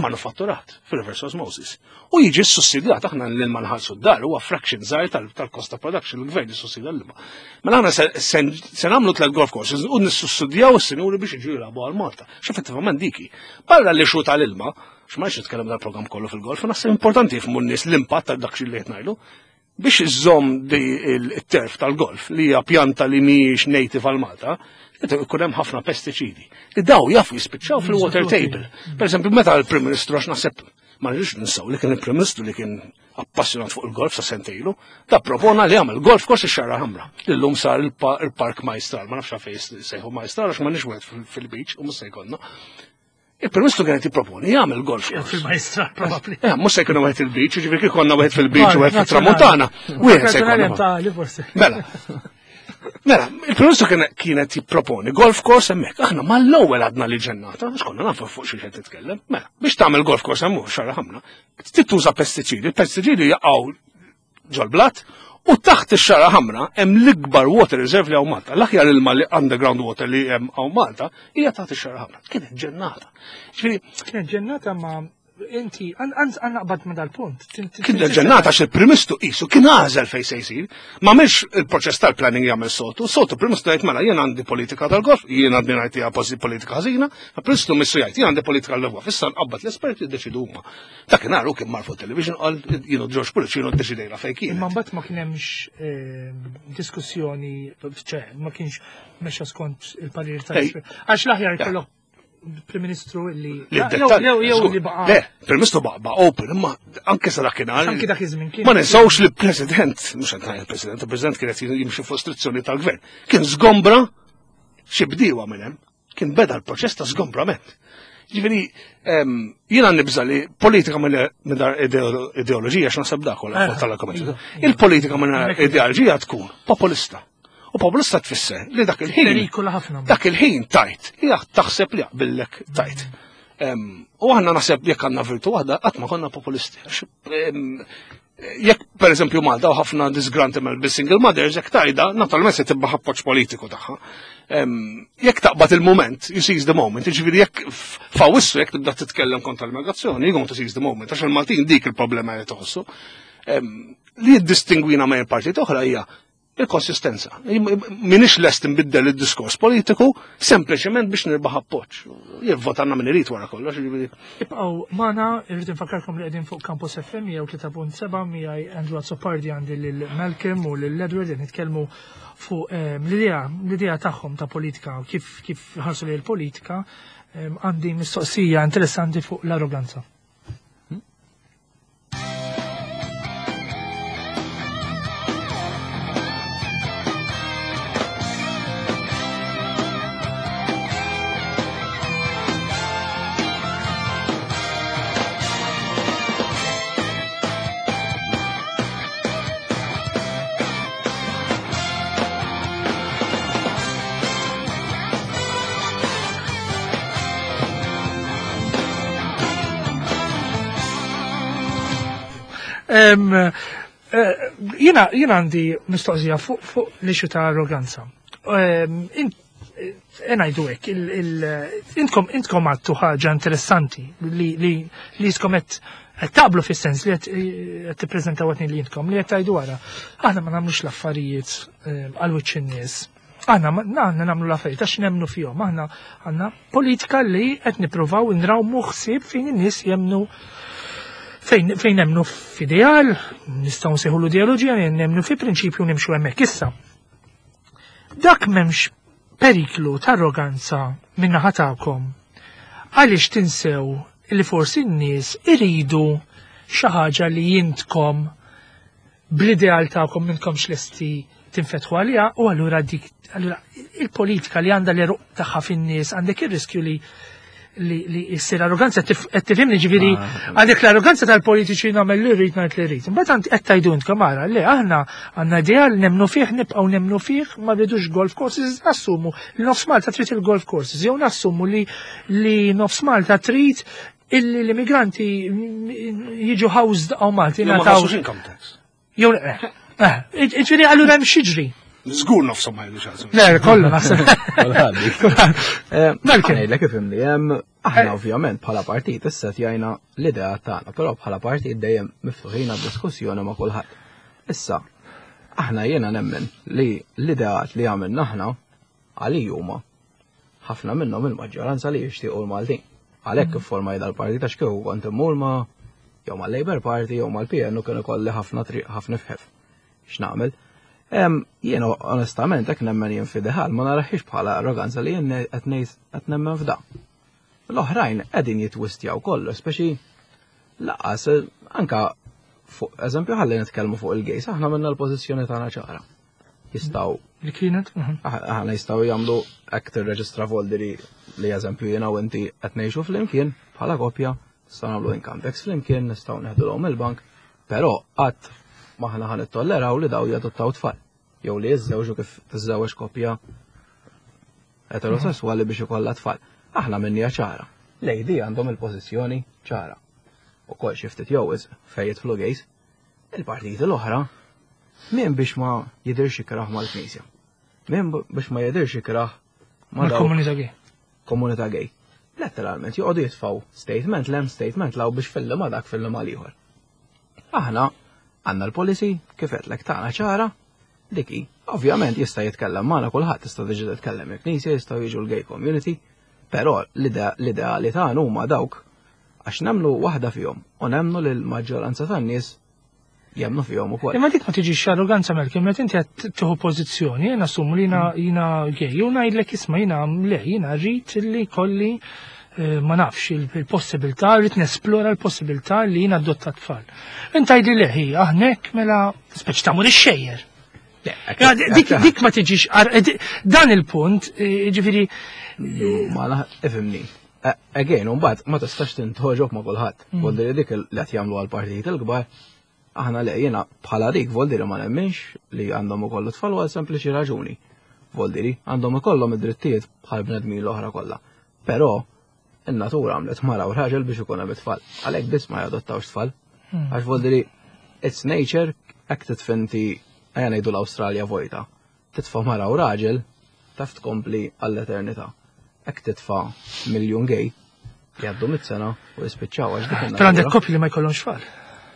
manufatturat fil-reverse osmosis. U jiġi sussidjat, aħna l-ilma nħallsu d-dar, huwa fraction żgħir tal-cost of production, il-gvern jissussidja l-ilma. Mela aħna se nagħmlu tliet golf courses u nissussidjaw is-sinjuri biex jiġu jilagħbu għal Malta. X'effettivament diki. Barra li xu tal-ilma, x'ma nitkellem dal-programm kollu fil-golf, naħseb importanti jifhmu n-nies l-impatt tal dak li qed ngħidu biex iżomm il-turf tal-golf li hija pjanta li mhijiex native għal Malta, ikun hemm ħafna pestiċidi. Li daw jafu jispiċċaw fil-water table. Per eżempju, meta l-Prim Ministru, għax naħseb ma rridux ninsaw li kien il-Prim Ministru li kien appassjonat fuq il-golf sa sentejlu, da propona li għamel golf course ix-Xagħra Ħamra. Illum sar il-Park Majstral, ma nafx fejn sejħu Majstral għax ma nix wieħed fil-beach u mhux se jkollna. Il-Prim Ministru kien qed jipproponi jagħmel golf course. Fil-Majstral probabbli. Eh, mhux se jkunu wieħed il-beach, jiġifieri kif konna wieħed fil-beach u wieħed fit-Tramuntana. Wieħed se jkun. Mela. Mela, il-Prim Ministru kienet jipproponi golf course hemmhekk. Aħna mal-ewwel għadna li ġennata, għax konna nafu fuq xi qed titkellem. Mela, biex tagħmel golf course hemm Xagħra Ħamra, tituża pestiċidi, il-pestiċidi jaqgħu ġol-blat u taħt ix-Xagħra Ħamra hemm l-ikbar water reserve li hawn Malta. L-aħjar ilma li underground water li hemm hawn Malta hija taħt ix-Xagħra Ħamra. Kienet ġennata. Ġifieri kienet ġennata, ma inti għan naqbad ma dal-punt. Kien ġennata għax il-Prim Ministru qisu kien għażel fejn se jsir. Ma mhix il-proċess tal-planning jagħmel soltu. Soltu Prim Ministru jgħid, "Mela jien għandi politika tal-golf, jien għandi ngħid hija politika ħażina," il-Prim Ministru missu jgħid, "Jien għandi politika tal-golf, issa nqabbad l-esperti jiddeċidu huma." Dakinhar hu kien mar fuq television qal, "Jienu George Pullicino ddeċidejna fejn kien." Imma mbagħad ma kien hemmx ehm, diskussjoni, ċe, ma kienx mexa skont il-parir tal Għax l-aħjar jkollok Prim Ministru li jew jew li baqa'. Le, Prim Ministru baqa' open, imma anke sa dakinhar. Anke dak iż-żmien kien. Ma ninsawx li President, mhux qed ngħid il-President, il-President kien qed jimxi fuq istruzzjoni tal-Gvern. Kien żgombra xi bdiewa minn hemm, kien beda l-proċess ta' żgombrament. Ġifieri, jiena nibża li politika minn ideoloġija, x'naħseb dak kollha eh, tal-argument. Il-politika minn ideoloġija tkun populista. U populista tfisser li dak il-ħin. Dak il-ħin tajt, hija taħseb li jaqbillek tajt. U aħna naħseb jekk għandna virtu waħda, qatt ma konna populisti. Jekk per eżempju Malta u ħafna disgruntled bil-single mothers, jekk tajda, naturalment se tibba appoġġ politiku tagħha. Jekk taqbad il-moment, you seize the moment, jiġifieri jekk f'Awwissu jekk tibda titkellem kontra l-immigrazzjoni, you going to seize the moment, għax il-Maltin dik il-problema li toħossu. Li jiddistingwina ma' partit oħra hija il-konsistenza. Minix lest nbiddel il-diskors politiku sempliċement biex nirbaħ appoġġ. Jivvotanna min irid wara kollox. Ibqgħu magħna, irrid infakkarkom li qegħdin fuq Campus F M jew tlieta punt seba' miegħi Andrew Azzopardi, għandi lil Malcolm u lil Edward qed nitkellmu fuq ehm, l-idea l-idea tagħhom ta' politika u kif kif ħarsu li l-politika. Ehm, għandi mistoqsija interessanti fuq l-arroganza. Em, eh, Jiena jiena għandi mistoqsija fuq fuq l-issue ta' arroganza. Em, in- eh, Ngħidu hekk, il- il- intkom intkom għattu ħaġa interessanti li li li jiskom qed qed taqblu fis-sens li qed qed tippreżentaw għatni li intkom li qed tgħidu wara. Aħna ma nagħmlux l-affarijiet em, għal wiċċ in-nies. Aħna ma- aħna nagħmlu l-affarijiet għax nemmnu fihom. Aħna għandna politika li qed nippruvaw nrawmu ħsieb fejn in-nies jemnu fejn fejn nemmnu f'ideal, nistgħu nsejħu l-ideoloġija, nemmnu fi prinċipju nimxu hemmhekk issa. Dak m'hemmx periklu ta' arroganza min-naħa tagħkom. Għaliex tinsew li forsi n-nies iridu xi ħaġa li intkom bl-ideal tagħkom m'intkomx lesti tinfetħu għaliha u allura dik allura il-politika li għandha l-għeruq tagħha fin-nies għandek ir-riskju li li li issir arroganza qed tifhimni ġifieri għandek l-arroganza tal-politiċi nagħmel li rrid ngħid li rrid. Imbagħad għand qed tgħidu intkom ara li aħna għandna ideal nemmnu fih nibqgħu nemmnu fih ma rridux golf courses nassumu li nofs Malta trid il-golf courses jew nassumu li li nofs Malta trid illi l-immigranti jiġu housed hawn Malta Jew ma jingħataw- ħallsux income tax. Jew eh, eh, ġifieri allura hemm xiġri. Żgur nofshom ma jgħidux għażu. Le, kollu naħseb. Kulħadd. Malcolm. Ngħidlek ifhimni, hemm aħna ovvjament bħala partit issa tjajna l-idea tagħna, però bħala partit dejjem miftuħin għad-diskussjoni ma' kulħadd. Issa, aħna jiena nemmen li l-ideat li għamilna aħna għali huma ħafna minnhom il-maġġoranza li jixtiequ l-Maltin. Għalhekk iffurmaj dal-partit għax kieku kont immur ma' jew mal-Labour Party jew mal-P N u kienu kolli ħafna triq ħafna fħef. X'nagħmel? Em, Jiena onestament hekk nemmen jien f'ideal ma naraħiex bħala arroganza li jien qed ngħid qed nemmen f'da. L-oħrajn qegħdin jitwistjaw kollu, speċi laqas eh, anka fuq eżempju ħalli nitkellmu fuq il-gays, aħna minna l-pożizzjoni tagħna ċara. Jistgħu Li kienet? Mhm. aħna jistgħu jagħmlu hekk tirreġistra voldiri li eżempju jiena u inti qed ngħixu flimkien bħala koppja, nistgħu nagħmlu income tax flimkien, nistgħu neħdulhom il-bank, però qatt m'aħna ħa nittolleraw li daw jadottaw tfal. Jew li jiżżewġu kif tiżżewġ koppja eterosessuali biex ikollha tfal. Aħna minnija ċara. L-A D għandhom il-pożizzjoni ċara. U kol xi ftit jew wisq fejn jidħlu gays. Il-partiti l-oħra min biex ma jidirx ikrah mal-Knisja. Min biex ma jidirx ikrah ma dawk Mal-komunità gay. Komunità gay. Letteralment joqogħdu jitfgħu statement 'l hemm, statement 'l hawn biex filli ma dak filli ma l-ieħor. Aħna għandna l-policy kif qedlek tagħna ċara diki. Ovvjament jista' jitkellem magħna kulħadd, tista' tiġi titkellem il-Knisja, jistgħu jiġu l-gay community, però l-idea l-ideali tagħna huma dawk għax nemmnu waħda fihom u nemmnu li l-maġġoranza tan-nies jemmnu fihom ukoll. Imma dik ma tiġix arroganza, Malcolm, meta inti qed tieħu pożizzjoni, jien assumu li jiena jiena gay, u ngħidlek isma' jiena le, jiena rrid li kolli eh, ma nafx il-possibilità, rrid nesplora l-possibilità li jiena adotta tfal. Inta jdi le, hi, aħnek mela speċi tagħmel ix-xejjer. Ja, Dik dik ma tiġix ar- eh, di- dan il-punt, eh, ġifieri Ma la, ifhimni. Again, mbagħad ma tistax tintoġob ma' kulħadd. Voldiri dik li qed jagħmlu għall-partijiet il-kbar, aħna le, jiena bħala dik voldiri ma nemminx li għandhom ukollu tfal għal sempliċi raġuni. Voldiri għandhom ikollhom id-drittijiet bħal bnedmin l-oħra kollha. Però in-natura għamlet mara u raġel biex ikun hemm it-tfal. Għalhekk biss ma jadottawx tfal. Għax voldiri it's nature, hekk titfinti ejja ngħidu l-Awstralja vojta. Titfa' mara u raġel taf tkompli għall-eternità. Hekk titfa' miljun gay jgħaddu mit sena u jispiċċaw għax dik Però għandek in-natura. koppji li ma jkollhomx tfal.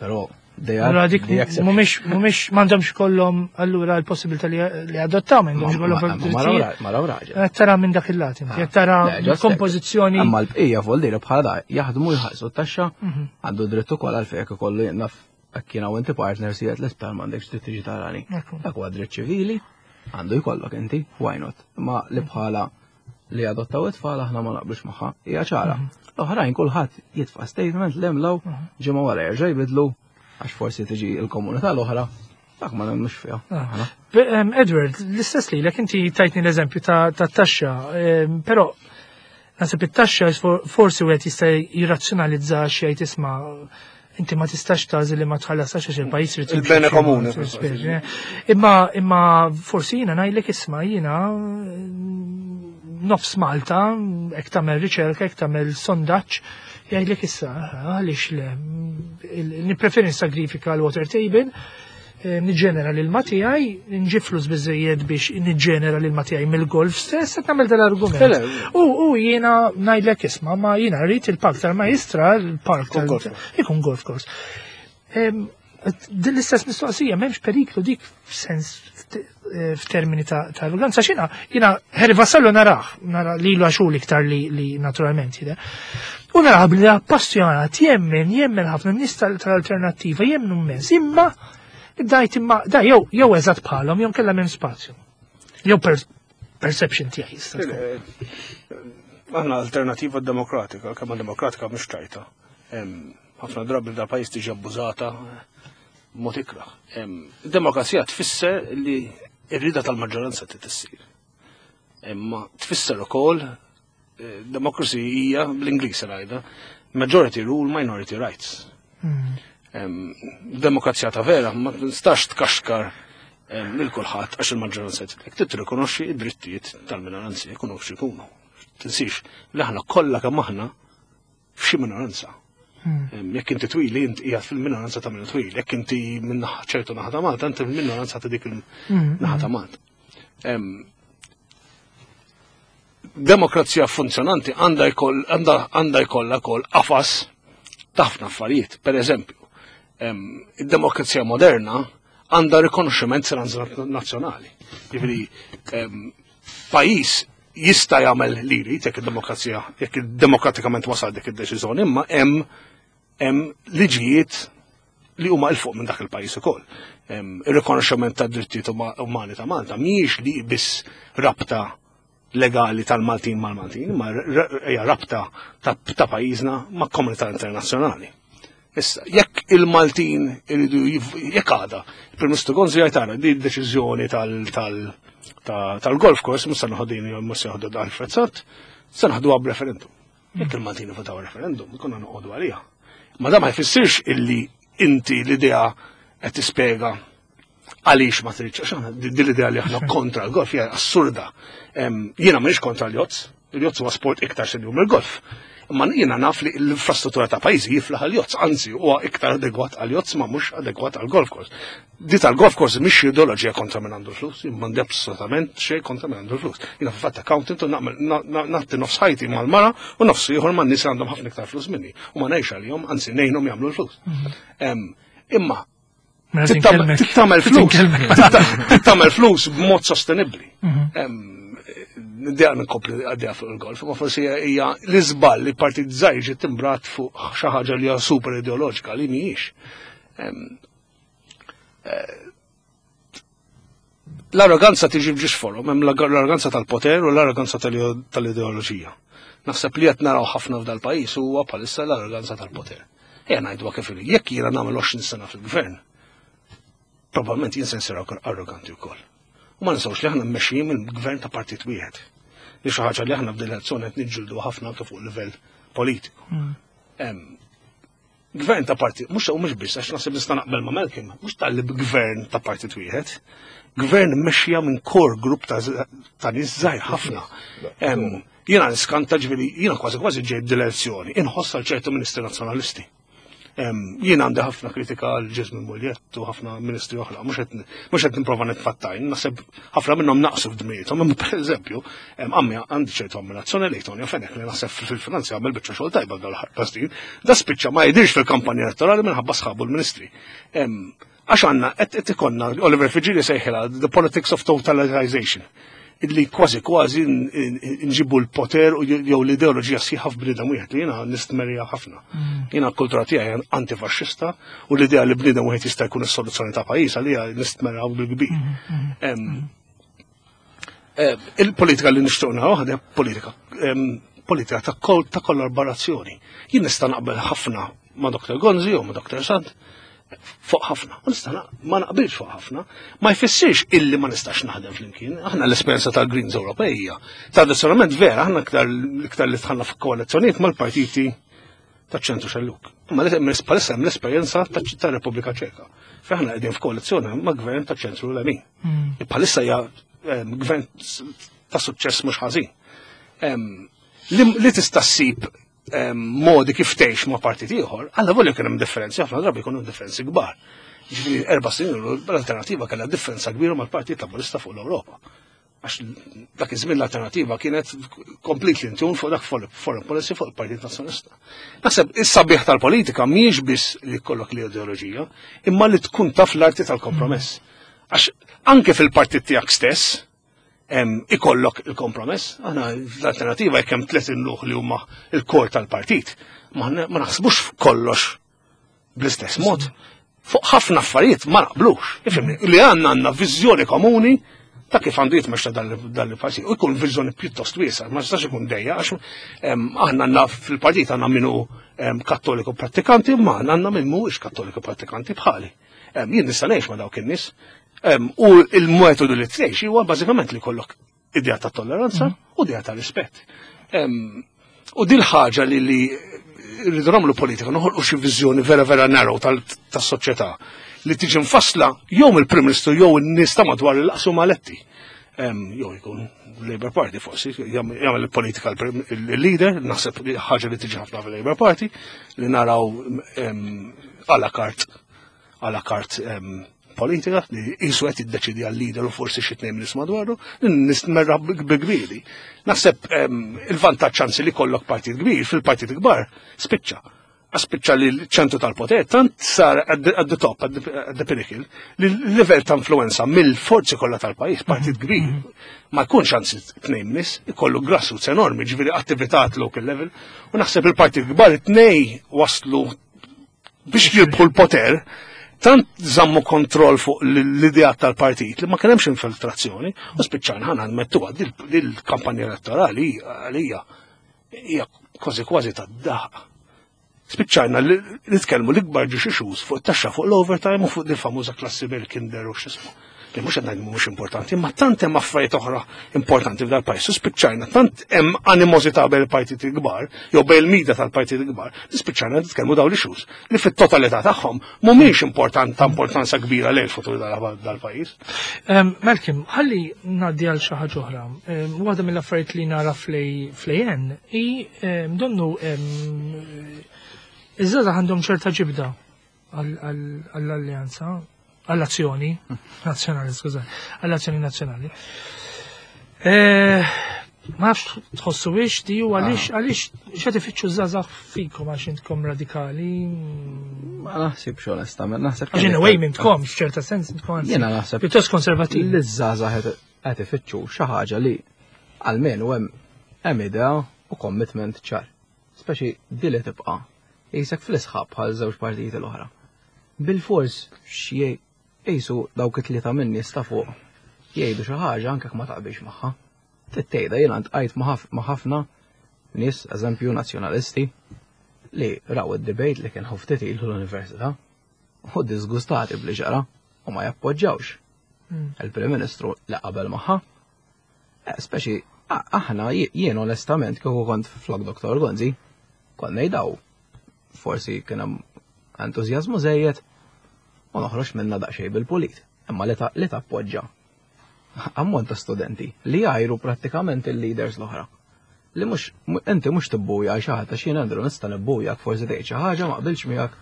Però they are Allura dik the exception. mhumiex mhumiex m'għandhomx kollhom allura l-possibilità li li adottaw, m'għandhomx kollhom Ma- ma- Mara u ra- mara u raġel. Qed tara minn dak il-lat inti, qed tara Le, just kompożizzjoni. Amma l-bqija voldiri bħala da jaħdmu jħallsu t-taxxa, Mhm. għandu dritt ukoll għalfejn jekk ikollu naf jekk jiena u inti partners jgħid l-isptar m'għandekx dritt tiġi tarani. Ekku. Dak huwa dritt ċivili, għandu jkollok inti, why not? Ma li bħala li adottaw it-tfal aħna ma naqblux magħha, hija ċara. Mhm. L-oħrajn kulħadd jitfa' statement 'l hemm 'l hawn, ġimgħa wara jerġa' jbidlu għax forsi tiġi l-komunità l-oħra, dak ma nemmnux fiha. Ah. Aħna. Be- em, Edward, l-istess li inti tajtni l-eżempju ta' ta' taxxa, em, però naħseb it-taxxa for- forsi wieħed jista' jirrazzjonalizza xi jgħid isma' inti ma tistax tagħżel li ma tħallasx għax il-pajjiż irid jimxi Il-bene xi komune. mod, speċi, eh. Imma imma forsi jiena ngħidlek isma' jiena mm, Nofs Malta, jekk tagħmel riċerka, jekk tagħmel sondaġġ, jgħidlek issa, għaliex le, nippreferi nsagrifika l-water table, eh, niġġenera l-ilma tiegħi, nġib flus biżejjed biex niġġenera l-ilma tiegħi mill-golf stess, qed nagħmel dal-argument. U u jiena ngħidlek isma' ma jiena rrid il-park tal-Majjistral, il-park tal ikun golf course. Din l-istess mistoqsija, m'hemmx periklu dik f'sens f'termini ta' arroganza xina, jiena Harry Vassallo narah, nara li l għaxu iktar li, li naturalment jide. U narah billi appassjonat, jemmen, jemmen ħafna nies tal-alternattiva, jemmnu immens, imma dajt imma, da jew jew eżatt bħalhom, jew kellha m'hemm spazju. Jew perception tiegħi. Aħna Alternativa Demokratika, kemm demokratika mhux ċajta. Ħafna drabi da pajjiż tiġi abbużata mod ikrah. Demokrazija tfisser li r-rida tal-maġġoranza trid issir. Imma tfisser ukoll eh, democracy hija bl-Ingliż ngħidha majority rule, minority rights. Hmm. Demokrazija ta' vera ma tistax tkaxkar lil kulħadd għax il-maġġoranza trid tirrikonoxxi id-drittijiet tal-minoranzi jkunu x'ikunu. Tinsix li aħna kollha kemm aħna f'xi minoranza. Hmm. Jekk inti twili, inti qiegħed fil-minoranza ta' minn twil, jekk inti minn ċertu naħa ta' Malta, inti fil-minoranza ta' dik il-naħa ta' Malta. Demokrazija funzjonanti għandha jkollha kol qafas ta' ħafna affarijiet. Per eżempju, id-demokrazija moderna għandha rikonoxximent transnazzjonali. Jiġifieri pajjiż jista' jagħmel li jrid jekk id-demokrazija, jekk demokratikament wasal dik id-deċiżjoni, imma hemm hemm liġijiet li huma 'l fuq minn dak il-pajjiż ukoll. Ir-rikonoxximent tad drittijiet umani ta' Malta mhijiex li biss rabta legali tal-Maltin mal-Maltin, ma hija rabta ta' pajjiżna ma' komunità internazzjonali. Issa, jekk il-Maltin iridu jekk għada, il-Prim Ministru Gonzi jgħid di deċiżjoni tal-golf course, mhux se noħodini mhux se joħdu Alfred Sant, se naħduha b'referendum. Jekk il-Maltin votaw referendum, konna noqogħdu għaliha. Ma da ma jfissirx illi inti l-idea qed tispjega għaliex ma tridx, għax din l-idea li aħna kontra l-golf hija assurda. Jiena m'iniex kontra l-jotz, il-jotz huwa sport iktar serju mill-golf. Imma jiena naf li l-infrastruttura ta' pajjiżi jiflaħ għal-jotz, anzi huwa iktar adegwat għal-jotz ma mhux adegwat għal-golf course. Di tal-golf course mhix ideoloġija kontra minn għandu l-flus, imma m'għandi assolutament xejn kontra minn għandu l-flus. Jiena fil-fatt accountant u nagħti nofs ħajti mal-mara u nofs ieħor man nies għandhom ħafna iktar flus minni u ma ngħix għalihom, anzi ngħinhom jagħmlu l-flus. Mhm. Imma tittamel flus, tittamel flus b'mod sostenibbli. Mhm. Niddeja nkompli għaddejja fuq il-golf, ma forsi hija l-iżball li partit żgħir ġiet timbrat fuq xi ħaġa li hija super ideoloġika li mhijiex. Eh, l-arroganza tiġi f'ġiex forom, hemm l-arroganza tal-poter u l-arroganza tal-ideoloġija. Naħseb li qed naraw ħafna f'dal pajjiż huwa bħalissa l-arroganza tal-poter. Ejja ngħidu kif jekk jiena nagħmel għoxrin sena fil-gvern, probabbilment jien se nsir arroganti wkoll. U ma ninsawx li aħna mmexxijin minn gvern ta' partit wieħed. Li xi ħaġa li aħna f'din l-elezzjoni qed niġġieldu ħafna anke fuq livell politiku. Mm. Gvern ta' partit, mhux u mhux biss għax naħseb nista' naqbel ma' Malcolm, mhux tal-li gvern ta' partit wieħed, gvern mmexxija minn core group ta' nies żgħir ħafna. Jiena niskanta ġifieri, jiena kważi kważi ġejt dil-elezzjoni, inħoss għal ċertu ministri nazzjonalisti. Jien għandi ħafna kritika għal Jesmond Mugliett u ħafna ministri oħra, mhux qed nipprova nitfattajn, naħseb ħafna minnhom naqsu f'dmijietom, imma pereżempju, għammi għandi ċertu ammirazzjoni lejn Tonio Fenech li naħseb fil-finanzi għamel biċċa xogħol tajba dal ħar Da spiċċa ma jidirx fil-kampanja elettorali minħabba sħabu l-ministri. Għax għandna qed ikollna Oliver Friggieri sejħilha the politics of totalization illi kważi kważi nġibu l-poter u jew l-ideoloġija sħiħa f'bniedem wieħed li jiena nistmerja ħafna. Mm. Jiena l-kultura tiegħi antifaxxista u l-idea li bniedem wieħed jista' jkun is-soluzzjoni ta' pajjiż għalija nistmerja bil-kbir. Mm, mm, eh, il-politika li nixtieq naraw waħda politika politika ta' kollaborazzjoni. Jien nista' naqbel ħafna ma' Dr. Gonzi u ma' Dr. Sant fuq ħafna. U nista' ma naqbilx fuq ħafna. Ma jfissirx illi ma nistax naħdem flimkien. Aħna l-esperjenza tal-Greens Ewropejja. Tradizzjonalment vera, aħna iktar iktar li dħalna f'koalizzjonijiet mal-partiti taċ-ċentru xelluk. Ma bħalissa hemm l-esperjenza ta' Repubblika Ċeka. Fejn aħna qegħdin f'koalizzjoni ma' gvern taċ-ċentru lemin. Mm. Bħalissa hija gvern ta' suċċess mhux ħażin. Li tista' ssib modi kif tgħix ma' partit ieħor, alla volja kien hemm differenzi, ħafna drabi jkunu differenzi kbar. Ġifieri erba' snin l-Alternattiva kellha differenza kbira mal-Partit Laburista fuq l-Ewropa. Għax dak iż-żmien l-Alternattiva kienet completely in tune fuq dak foreign policy fuq il-Partit Nazzjonalista. Naħseb is-sabiħ tal-politika mhijiex biss li jkollok l-ideoloġija, imma li tkun taf l-arti tal-kompromess. Għax anke fil-partit tiegħek stess ikollok il-kompromess. Aħna l-Alternativa jekk hemm tliet imluħ li huma il-core tal-partit, ma naħsbux kollox bl-istess mod. Fuq ħafna affarijiet ma naqblux. Ifhimni, li għandna għandna viżjoni komuni ta' kif għandu jitmexxa dal-partit. U jkun viżjoni pjuttost wiesa, ma jistax ikun dejja, għax aħna għandna fil-partit għandna minu kattoliku prattikanti, ma għandna min mhuwiex kattoliku prattikanti bħali. Jien nista' ngħix ma' dawk in-nies. U il-metodu li tgħix huwa bażikament li kollok idea ta' tolleranza u idea ta' rispett. U dil ħaġa li li rridu nagħmlu politika, noħolqu xi viżjoni vera vera narrow tas-soċjetà li tiġi mfassla jew mill-Prim Ministru jew in-nies ta' madwar il-qasum maletti. Jew jkun Labour Party forsi, jagħmel il-politika il-leader, naħseb ħaġa li tiġi ħafna fil-Labour Party, li naraw à la carte à la carte politika li jisu qed jiddeċidi għal-leader u forsi xi tnejn nies madwaru, nistmerra bi kbiri. Naħseb il-vantaġġ anzi li kollok partit kbir, fil-partit kbar spiċċa. Spiċċa li l-ċentru tal-poter tant sar at the top, at the pinnacle, li l-level ta' influenza mill-forzi kollha tal-pajjiż, partit kbir, ma jkunx anzi tnejn nies, ikollu grassroots enormi, ġifieri attività at local level, u naħseb il-partit kbar it-tnej waslu biex jirbħu l-poter, tant zammu kontroll fuq l-idea tal-partit li ma kien hemmx infiltrazzjoni u spiċċajna ħana nmettuha dil-kampanja elettorali għalija hija kważi kważi tad-daħq. Spiċċajna li nitkellmu l-ikbar ġiex issues fuq taxxa fuq l-overtime u fuq il-famuża klassi bil-kinder u x'ismu. Li mhux qed ngħid mhux importanti, imma tant hemm affarijiet oħra importanti f'dal pajjiż. U spiċċajna tant hemm animożità bejn il-partiti kbar, jew bejn il-media tal-partiti kbar, li spiċċajna nitkellmu dawn l-issues li fit-totalità tagħhom mhumiex important ta' importanza kbira lejn il-futur dal-pajjiż. Malcolm, ħalli ngħaddi għal xi ħaġa oħra. Waħda mill-affarijiet li nara fl-A N hi donnu iż-żgħażagħ għandhom ċerta ġibda għall-alleanza, għall-Azzjoni Nazzjonali, skuża, għall-Azzjoni Nazzjonali. Eh, ma nafx tħossu biex di u għaliex għaliex x'qed ifittxu żgħażagħ fikom, għax intkom radikali? Ma naħsibx onestament, naħseb. Għax in a way m'intkom, f'ċerta sens intkom anzi Jiena naħseb pjuttost konservativi. li żgħażagħ qed ifittxu xi ħaġa li almenu hemm hemm idea u commitment ċar. Speċi di li tibqa' jisek fl-isħab bħal żewġ partiti l-oħra. Bil-fors xie jisu dawk it-tlieta minni sta fuq jgħidu xi ħaġa anke ma taqbilx magħha. Tittejda jiena ntqajt ma' ħafna nies, eżempju nazzjonalisti, li raw id-debate li kien ftit ilu l-università u disgustati bli ġara u ma jappoġġawx Mm. il-Prim Ministru li qabel magħha. Eh, Speċi, a- aħna jien onestament kieku kont flok Doktor Gonzi, kont ngħidaw forsi kien hemm entużjażmu żejjed u noħroġ minna daqsxejn bil-pulit. Imma li ta' li tappoġġa ammont ta' studenti li jgħajru prattikament il-leaders l-oħra. Li mhux inti mhux tibbuja xi ħadd, għax jien Andrew nista' nibbujak, forsi tgħid xi ħaġa ma qbilx miegħek,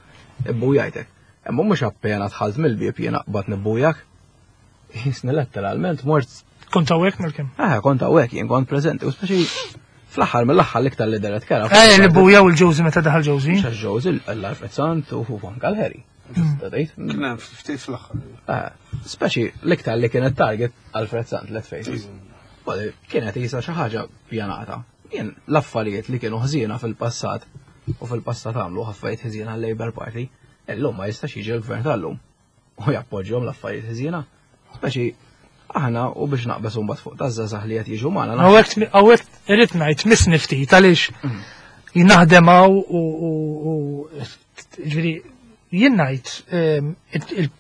ibbujajtek. Imma mhux appena dħalt mill-bieb jiena qbad nibbujak. Jisni letteralment mort. Kont hawnhekk, Malcolm? Eh, kont hawnhekk, jien kont preżenti u speċi fl-aħħar mill-aħħar l-iktar li deret kera. Eh, li bujaw il-Josie meta daħal Josie. Mhux Josie, l-Alfred Sant u anke l-Harry. Tista' tgħid? Kien hemm ftit fl-aħħar. Eh, speċi l-iktar li kienet target Alfred Sant, let's face it. Well, kienet jisa xi ħaġa pjanata. Jien l-affarijiet li kienu ħżiena fil-passat u fil-passat għamlu affarijiet ħżiena l-Labour Party, illum ma jistax jiġi l-gvern tal-lum u jappoġġjhom l-affarijiet ħżiena. Speċi aħna u biex naqbeż mbagħad fuq taż-żgħażagħ li qed jiġu magħna. Hawnhekk hawnhekk irrid ngħid misni ftit għaliex jien naħdem hawn u u ġifieri jien ngħid ehm, il-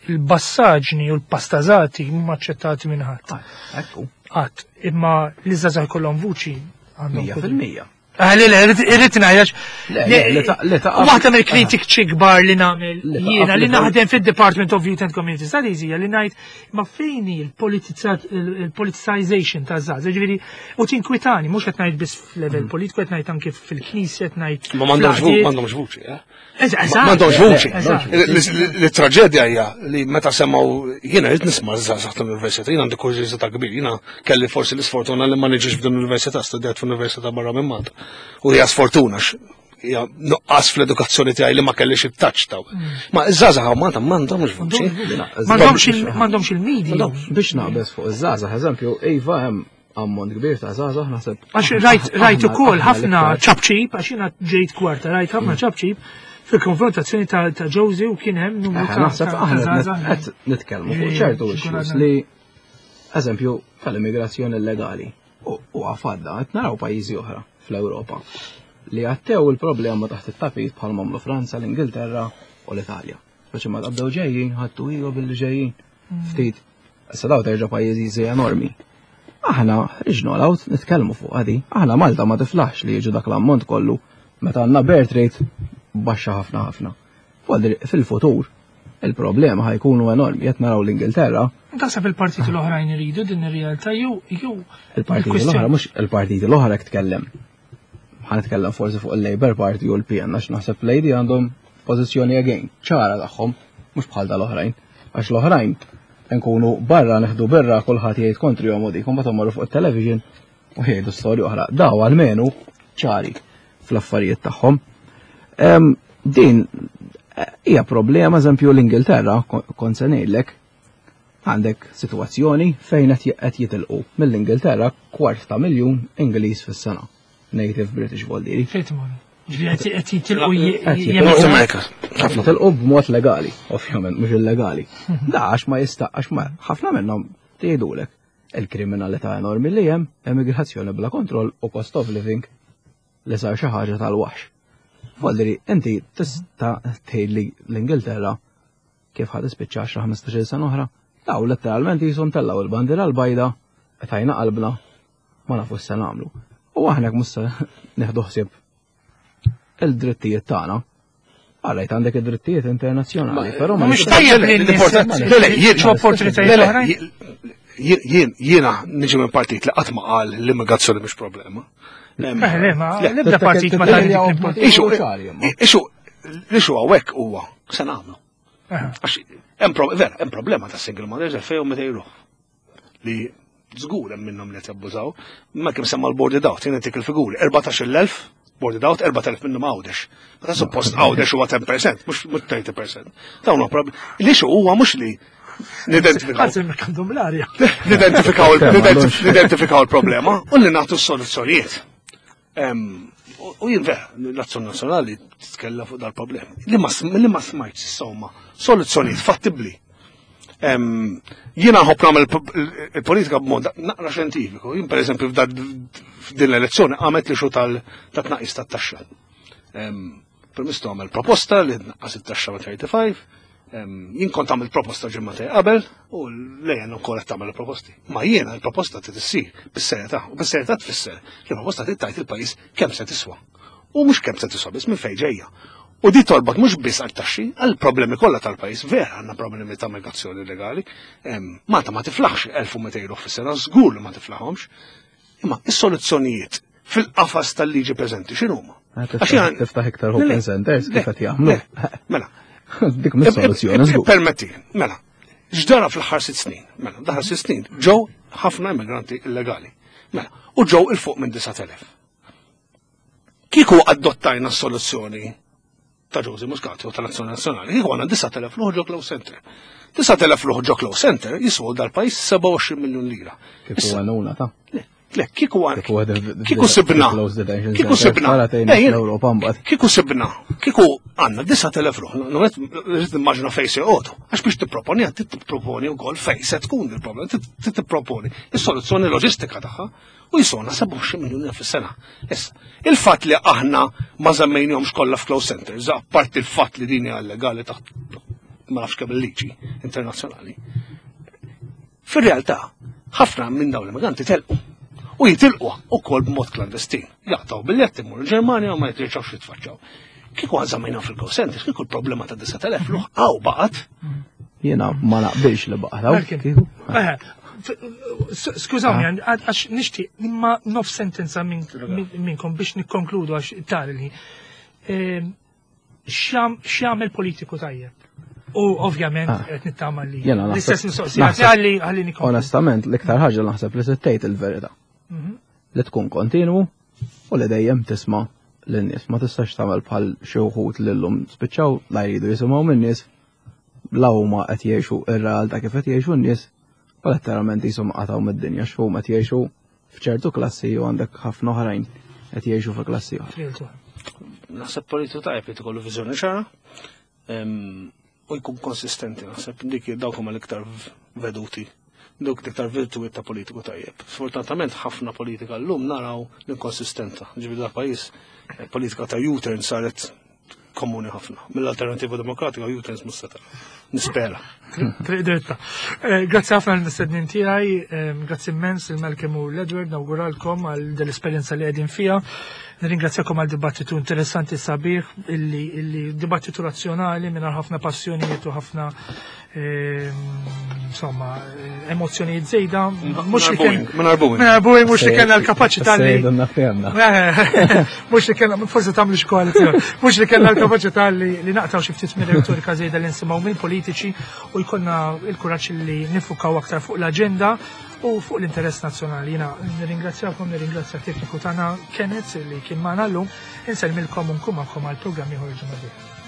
il-bassaġni u l-pastażati mhuma aċċettati minn ħadd. Ekku, Qatt, imma li żgħażagħ jkollhom vuċi għandhom mija kull- fil-mija. Ah, le, le, irrid ngħid Le, le, li ta- li ta' Waħda mill-kritiċi kbar li nagħmel Li ta' jiena li li naħdem fid-Department of Youth and Community Studies hija li ngħid ma fejn hi il-politicization ta' żgħażagħ. Ġifieri u tinkwitani mhux qed ngħid biss f'level politiku, qed ngħid anke fil-knisja, qed ngħid Ma m'għandhomx fl-għaqdiet. m'għandhomx vuċi, eh? Eżatt, M'għandhomx vuċi. eżatt. Li traġedja hija li meta semgħu jiena rrid nisma' żgħażagħ tal-università, jiena għandi kurżità kbir, jiena kelli forsi l-isfortuna li ma niġix f'din l-università, studjat f'università barra minn Malta. U hija sfortuna x- hija nuqqas fl-edukazzjoni tiegħi li ma kellix it-touch taw. Ma iż-żgħażagħ hawn Malta m'għandhomx vuċi. M'għandhomx il- m'għandhomx il-media. Biex naqbeż fuq iż-żgħażagħ, eżempju, iva hemm ammont kbir ta' żgħażagħ naħseb. Għax rajt rajt ukoll aħna ħafna l-iktar- ċapċip, għax jiena ġejt kwarta, rajt ħafna ċapċip fil-konfrontazzjoni ta' ta' Josie u kien hemm numru Eh, ta' Naħseb ta' ta' aħna żgħażagħ. qed nitkellmu fuq Ġifieri, ċertu xikun issues għadna. li eżempju tal-immigrazzjoni illegali u u għafadda qed naraw pajjiżi oħra fl-Ewropa li għattew il-problema taħt it-tapit bħal m'għamlu Franza, l-Ingilterra u l-Italja. Speċi ma qabdew ġejjin, ħattu ilu billi ġejjin. Ftit, issa daw terġa' pajjiżi enormi. Aħna ħriġna l-out nitkellmu fuq għadi. Aħna Malta ma tiflaħx li jiġu dak l-ammont kollu meta għandna birth rate baxxa ħafna ħafna. Fuq fil-futur il-problema ħa jkunu enormi. Qed naraw l-Ingilterra, Taħseb il-partiti l-oħrajn iridu din ir-realtà jew jew il-partiti il-kwistjoni- l-oħra mhux il-partiti l-oħra jekk tkellem. Ħa nitkellem forsi fuq il-Labour Party u l-P N għax naħseb l-A D għandhom pożizzjoni again ċara tagħhom mhux bħal tal-oħrajn. Għax l-oħrajn nkunu barra neħdu birra kulħadd jgħid kontri u dik, mbagħad marru fuq il-television u jgħidu storja oħra. Daw almenu ċari fl-affarijiet tagħhom. Em, Din eh, hija problema, eżempju l-Ingilterra, kont se ngħidlek, għandek situazzjoni fejn qed qed jitilqu mill-Ingilterra kwart ta' miljun Ingliż fis-sena. Native British voldiri. Fejn imorru? Ġifieri qed qed jitilqu Qed jemmen- North America. Ħafna tilqu b'mod legali, ovvjament, mhux illegali. Da għax ma jista' għax ma ħafna minnhom tgħidulek il-kriminalità enormi li hemm, emigrazzjoni bla kontroll u cost of living li sar xi ħaġa tal-waħx. Voldiri, inti tista' tgħid li l-Ingilterra kif ħad tispiċċa għaxra ħmistax-il sena oħra, daw letteralment jisom tellaw il-bandiera l-bajda, qtajna qalbna, ma nafu se nagħmlu. U aħna jekk mhux se nieħdu ħsieb il-drittijiet tagħna. Għalajt għandek id-drittijiet internazzjonali, però ma Mhux nistax- tajjeb li n-nies L-importanti- Le, le, jien- jiġu opportunitajiet Le, le, oħrajn. jien- jien- Jiena niġi minn partit li qatt ma qal l-immigrazzjoni mhux problema. Eh, le, ma Le, l-ebda partit ma tagħti dik l-importanza. Ixu, ċari, imma. ixu, l-issue hawnhekk huwa se nagħmlu. Aha. Għax hemm pro- vera, hemm problema ta' single mothers fejn meta jruħ. Li żgur hemm minnhom li qed jabbużaw, ma kemm semma l-boarded out, jien tik il-figuri, erbatax-il elf boarded out, erbat elef minnhom Għawdex. Meta suppost Għawdex huwa għaxra fil-mija, mhux mhux tletin fil-mija. Dawn huwa problem. L-issue huwa mhux li nidentifikaw Għazem għandhom l-arja. nidentifikaw nidentifikaw il-problema u li nagħtu s-soluzzjonijiet. Em, U u jien vera, l-Azzjoni Nazzjonali titkellem fuq dal-problemi. Li ma sm- li ma smajtx insomma soluzzjonijiet fattibbli. Em, Jiena nħobb nagħmel il-politika b'mod naqra xjentifiku. Jien pereżempju f'din l-elezzjoni għamet l-issue tal-tnaqqis tat-taxxa. Em, Prim Ministru għamel proposta li tnaqqas it-taxxa ma' tlieta u tletin. Em, Jien kont għamil proposta ġimgħatej qabel u lejn ukoll qed tagħmel proposti. Ma jiena l-proposta trid issir bis-serjetà u bis-serjetà tfisser li l-proposta trid tgħid il-pajjiż kemm se tiswa. U mhux kemm se tiswa biss, minn fejn ġejja. U di torbot mhux biss għal taxxi, għal problemi kollha tal-pajjiż. Vera għandna problemi ta' migrazzjoni legali. Em, Malta ma tiflaħx elf u mitejn ruħ fis-sena, żgur li ma tiflaħhomx. Imma is-soluzzjonijiet fil-qafas tal-liġi preżenti x'inhuma? Għax jien- Tiftaħ iktar open centers kif qed jagħmlu. Mela, Dik mis-soluzzjoni żgur. Permetti, mela, x'ġara fl-aħħar sitt snin? Mela, daħar sitt snin ġew ħafna immigranti illegali. Mela, u ġew 'il fuq minn disat elef. Kieku adottajna s-soluzzjoni ta' Josie Muscat u tal-Azzjoni Nazzjonali, kieku għandna disat elef ruħ ġo closed center. disat elef ruħ ġo closed center jiswu dal-pajjiż sebgħa u għoxrin miljun lira. Kieku għanuna ta' Le, le, kieku għan. Kieku għad Kieku sibna. closed detention Kieku centers, sibna. tara tgħinna Eh, jien- fl-Ewropa mbagħad. Kieku sibna. Kieku għandna disat elef ruħ. Numet, rrid nimmaġina fejn se joqogħdu. Għax biex tipproponi, għad tipproponi wkoll fejn se tkun il-problema. Trid tipproponi is-soluzzjoni loġistika tagħha u jiswewna sebgħa u għoxrin miljun fis-sena. Issa, il-fatt li aħna ma żammejnihomx kollha f'closed centers, apparti il-fatt li din hija illegali taħt ma nafx kemm il-liġi internazzjonali. Fir-realtà, ħafna minn dawn l-immigranti telqu. U jitilqu ukoll b'mod klandestin. Jaqtaw biljett imur il-Ġermanja u ma jitrġgħux jitfaċċaw. Kieku għażamajna fil-call centers, kieku l-problema ta' disat elef ruħ għaw baqgħet. Jiena ma naqbilx li baqgħet. Eh, skużawni, ah. għax nixtieq imma nof sentenza minnkom biex nikkonkludu għax tari. Ehm, x'jagħmel politiku tajjeb? U ovvjament ah. qed nittama li l-istess mistoqsija għalli għalli nikkonkludu. Onestament, l-iktar ħaġa naħseb li tgħid il-verità. Mhm. Li tkun kontinwu u li dejjem tisma' lin-nies. Ma tistax tagħmel bħal xi wħud li llum spiċċaw la jridu jisimgħu min-nies, la huma qed jgħixu ir-realtà kif qed jgħixu n-nies, u letteralment jisom qatgħu mid-dinja x'huma qed jgħixu f'ċertu klassi u għandek ħafna oħrajn qed jgħixu fi klassi oħra. Naħseb politiku tajjeb li tkollu viżjoni ċara u jkun konsistenti. Naħseb dik dawk huma l-iktar veduti, dawk l-iktar virtujiet ta' politiku tajjeb. Sfortunatament ħafna politika llum naraw l-inkonsistenza. Ġifieri da pajjiż eh, politika ta' U-turn saret komuni ħafna. Mill-Alternativa Demokratika U-turns mhux se nispera. Triq dritta. Eh, grazzi ħafna l-mistednin tiegħi, eh, grazzi immens il-Malcolm u l-Edward, nawguralkom għal dell-esperjenza li qegħdin fiha. Nirringrazzjakom għal dibattitu interessanti sabiħ, illi, illi dibattitu razzjonali mingħajr ħafna passjonijiet u ħafna ehm, insomma emozzjonijiet żejda. Mhux li kien mingħajr mhux li kellna l-kapaċità li mhux li kellna, forsi tagħmlu xi koalizzjoni, mhux li kellna l-kapaċità li li naqtaw xi ftit mir-retorika żejda li nsimgħu mill-politiċi u jkollna l-kuraġġ li nifukaw aktar fuq l-aġenda u fuq l-interess nazzjonali. Jiena nirringrazzjakom, nirringrazzja tekniku tagħna Kenneth li kien magħna llum, insellmilkom u nkun magħkom għal programm ieħor ġimgħa.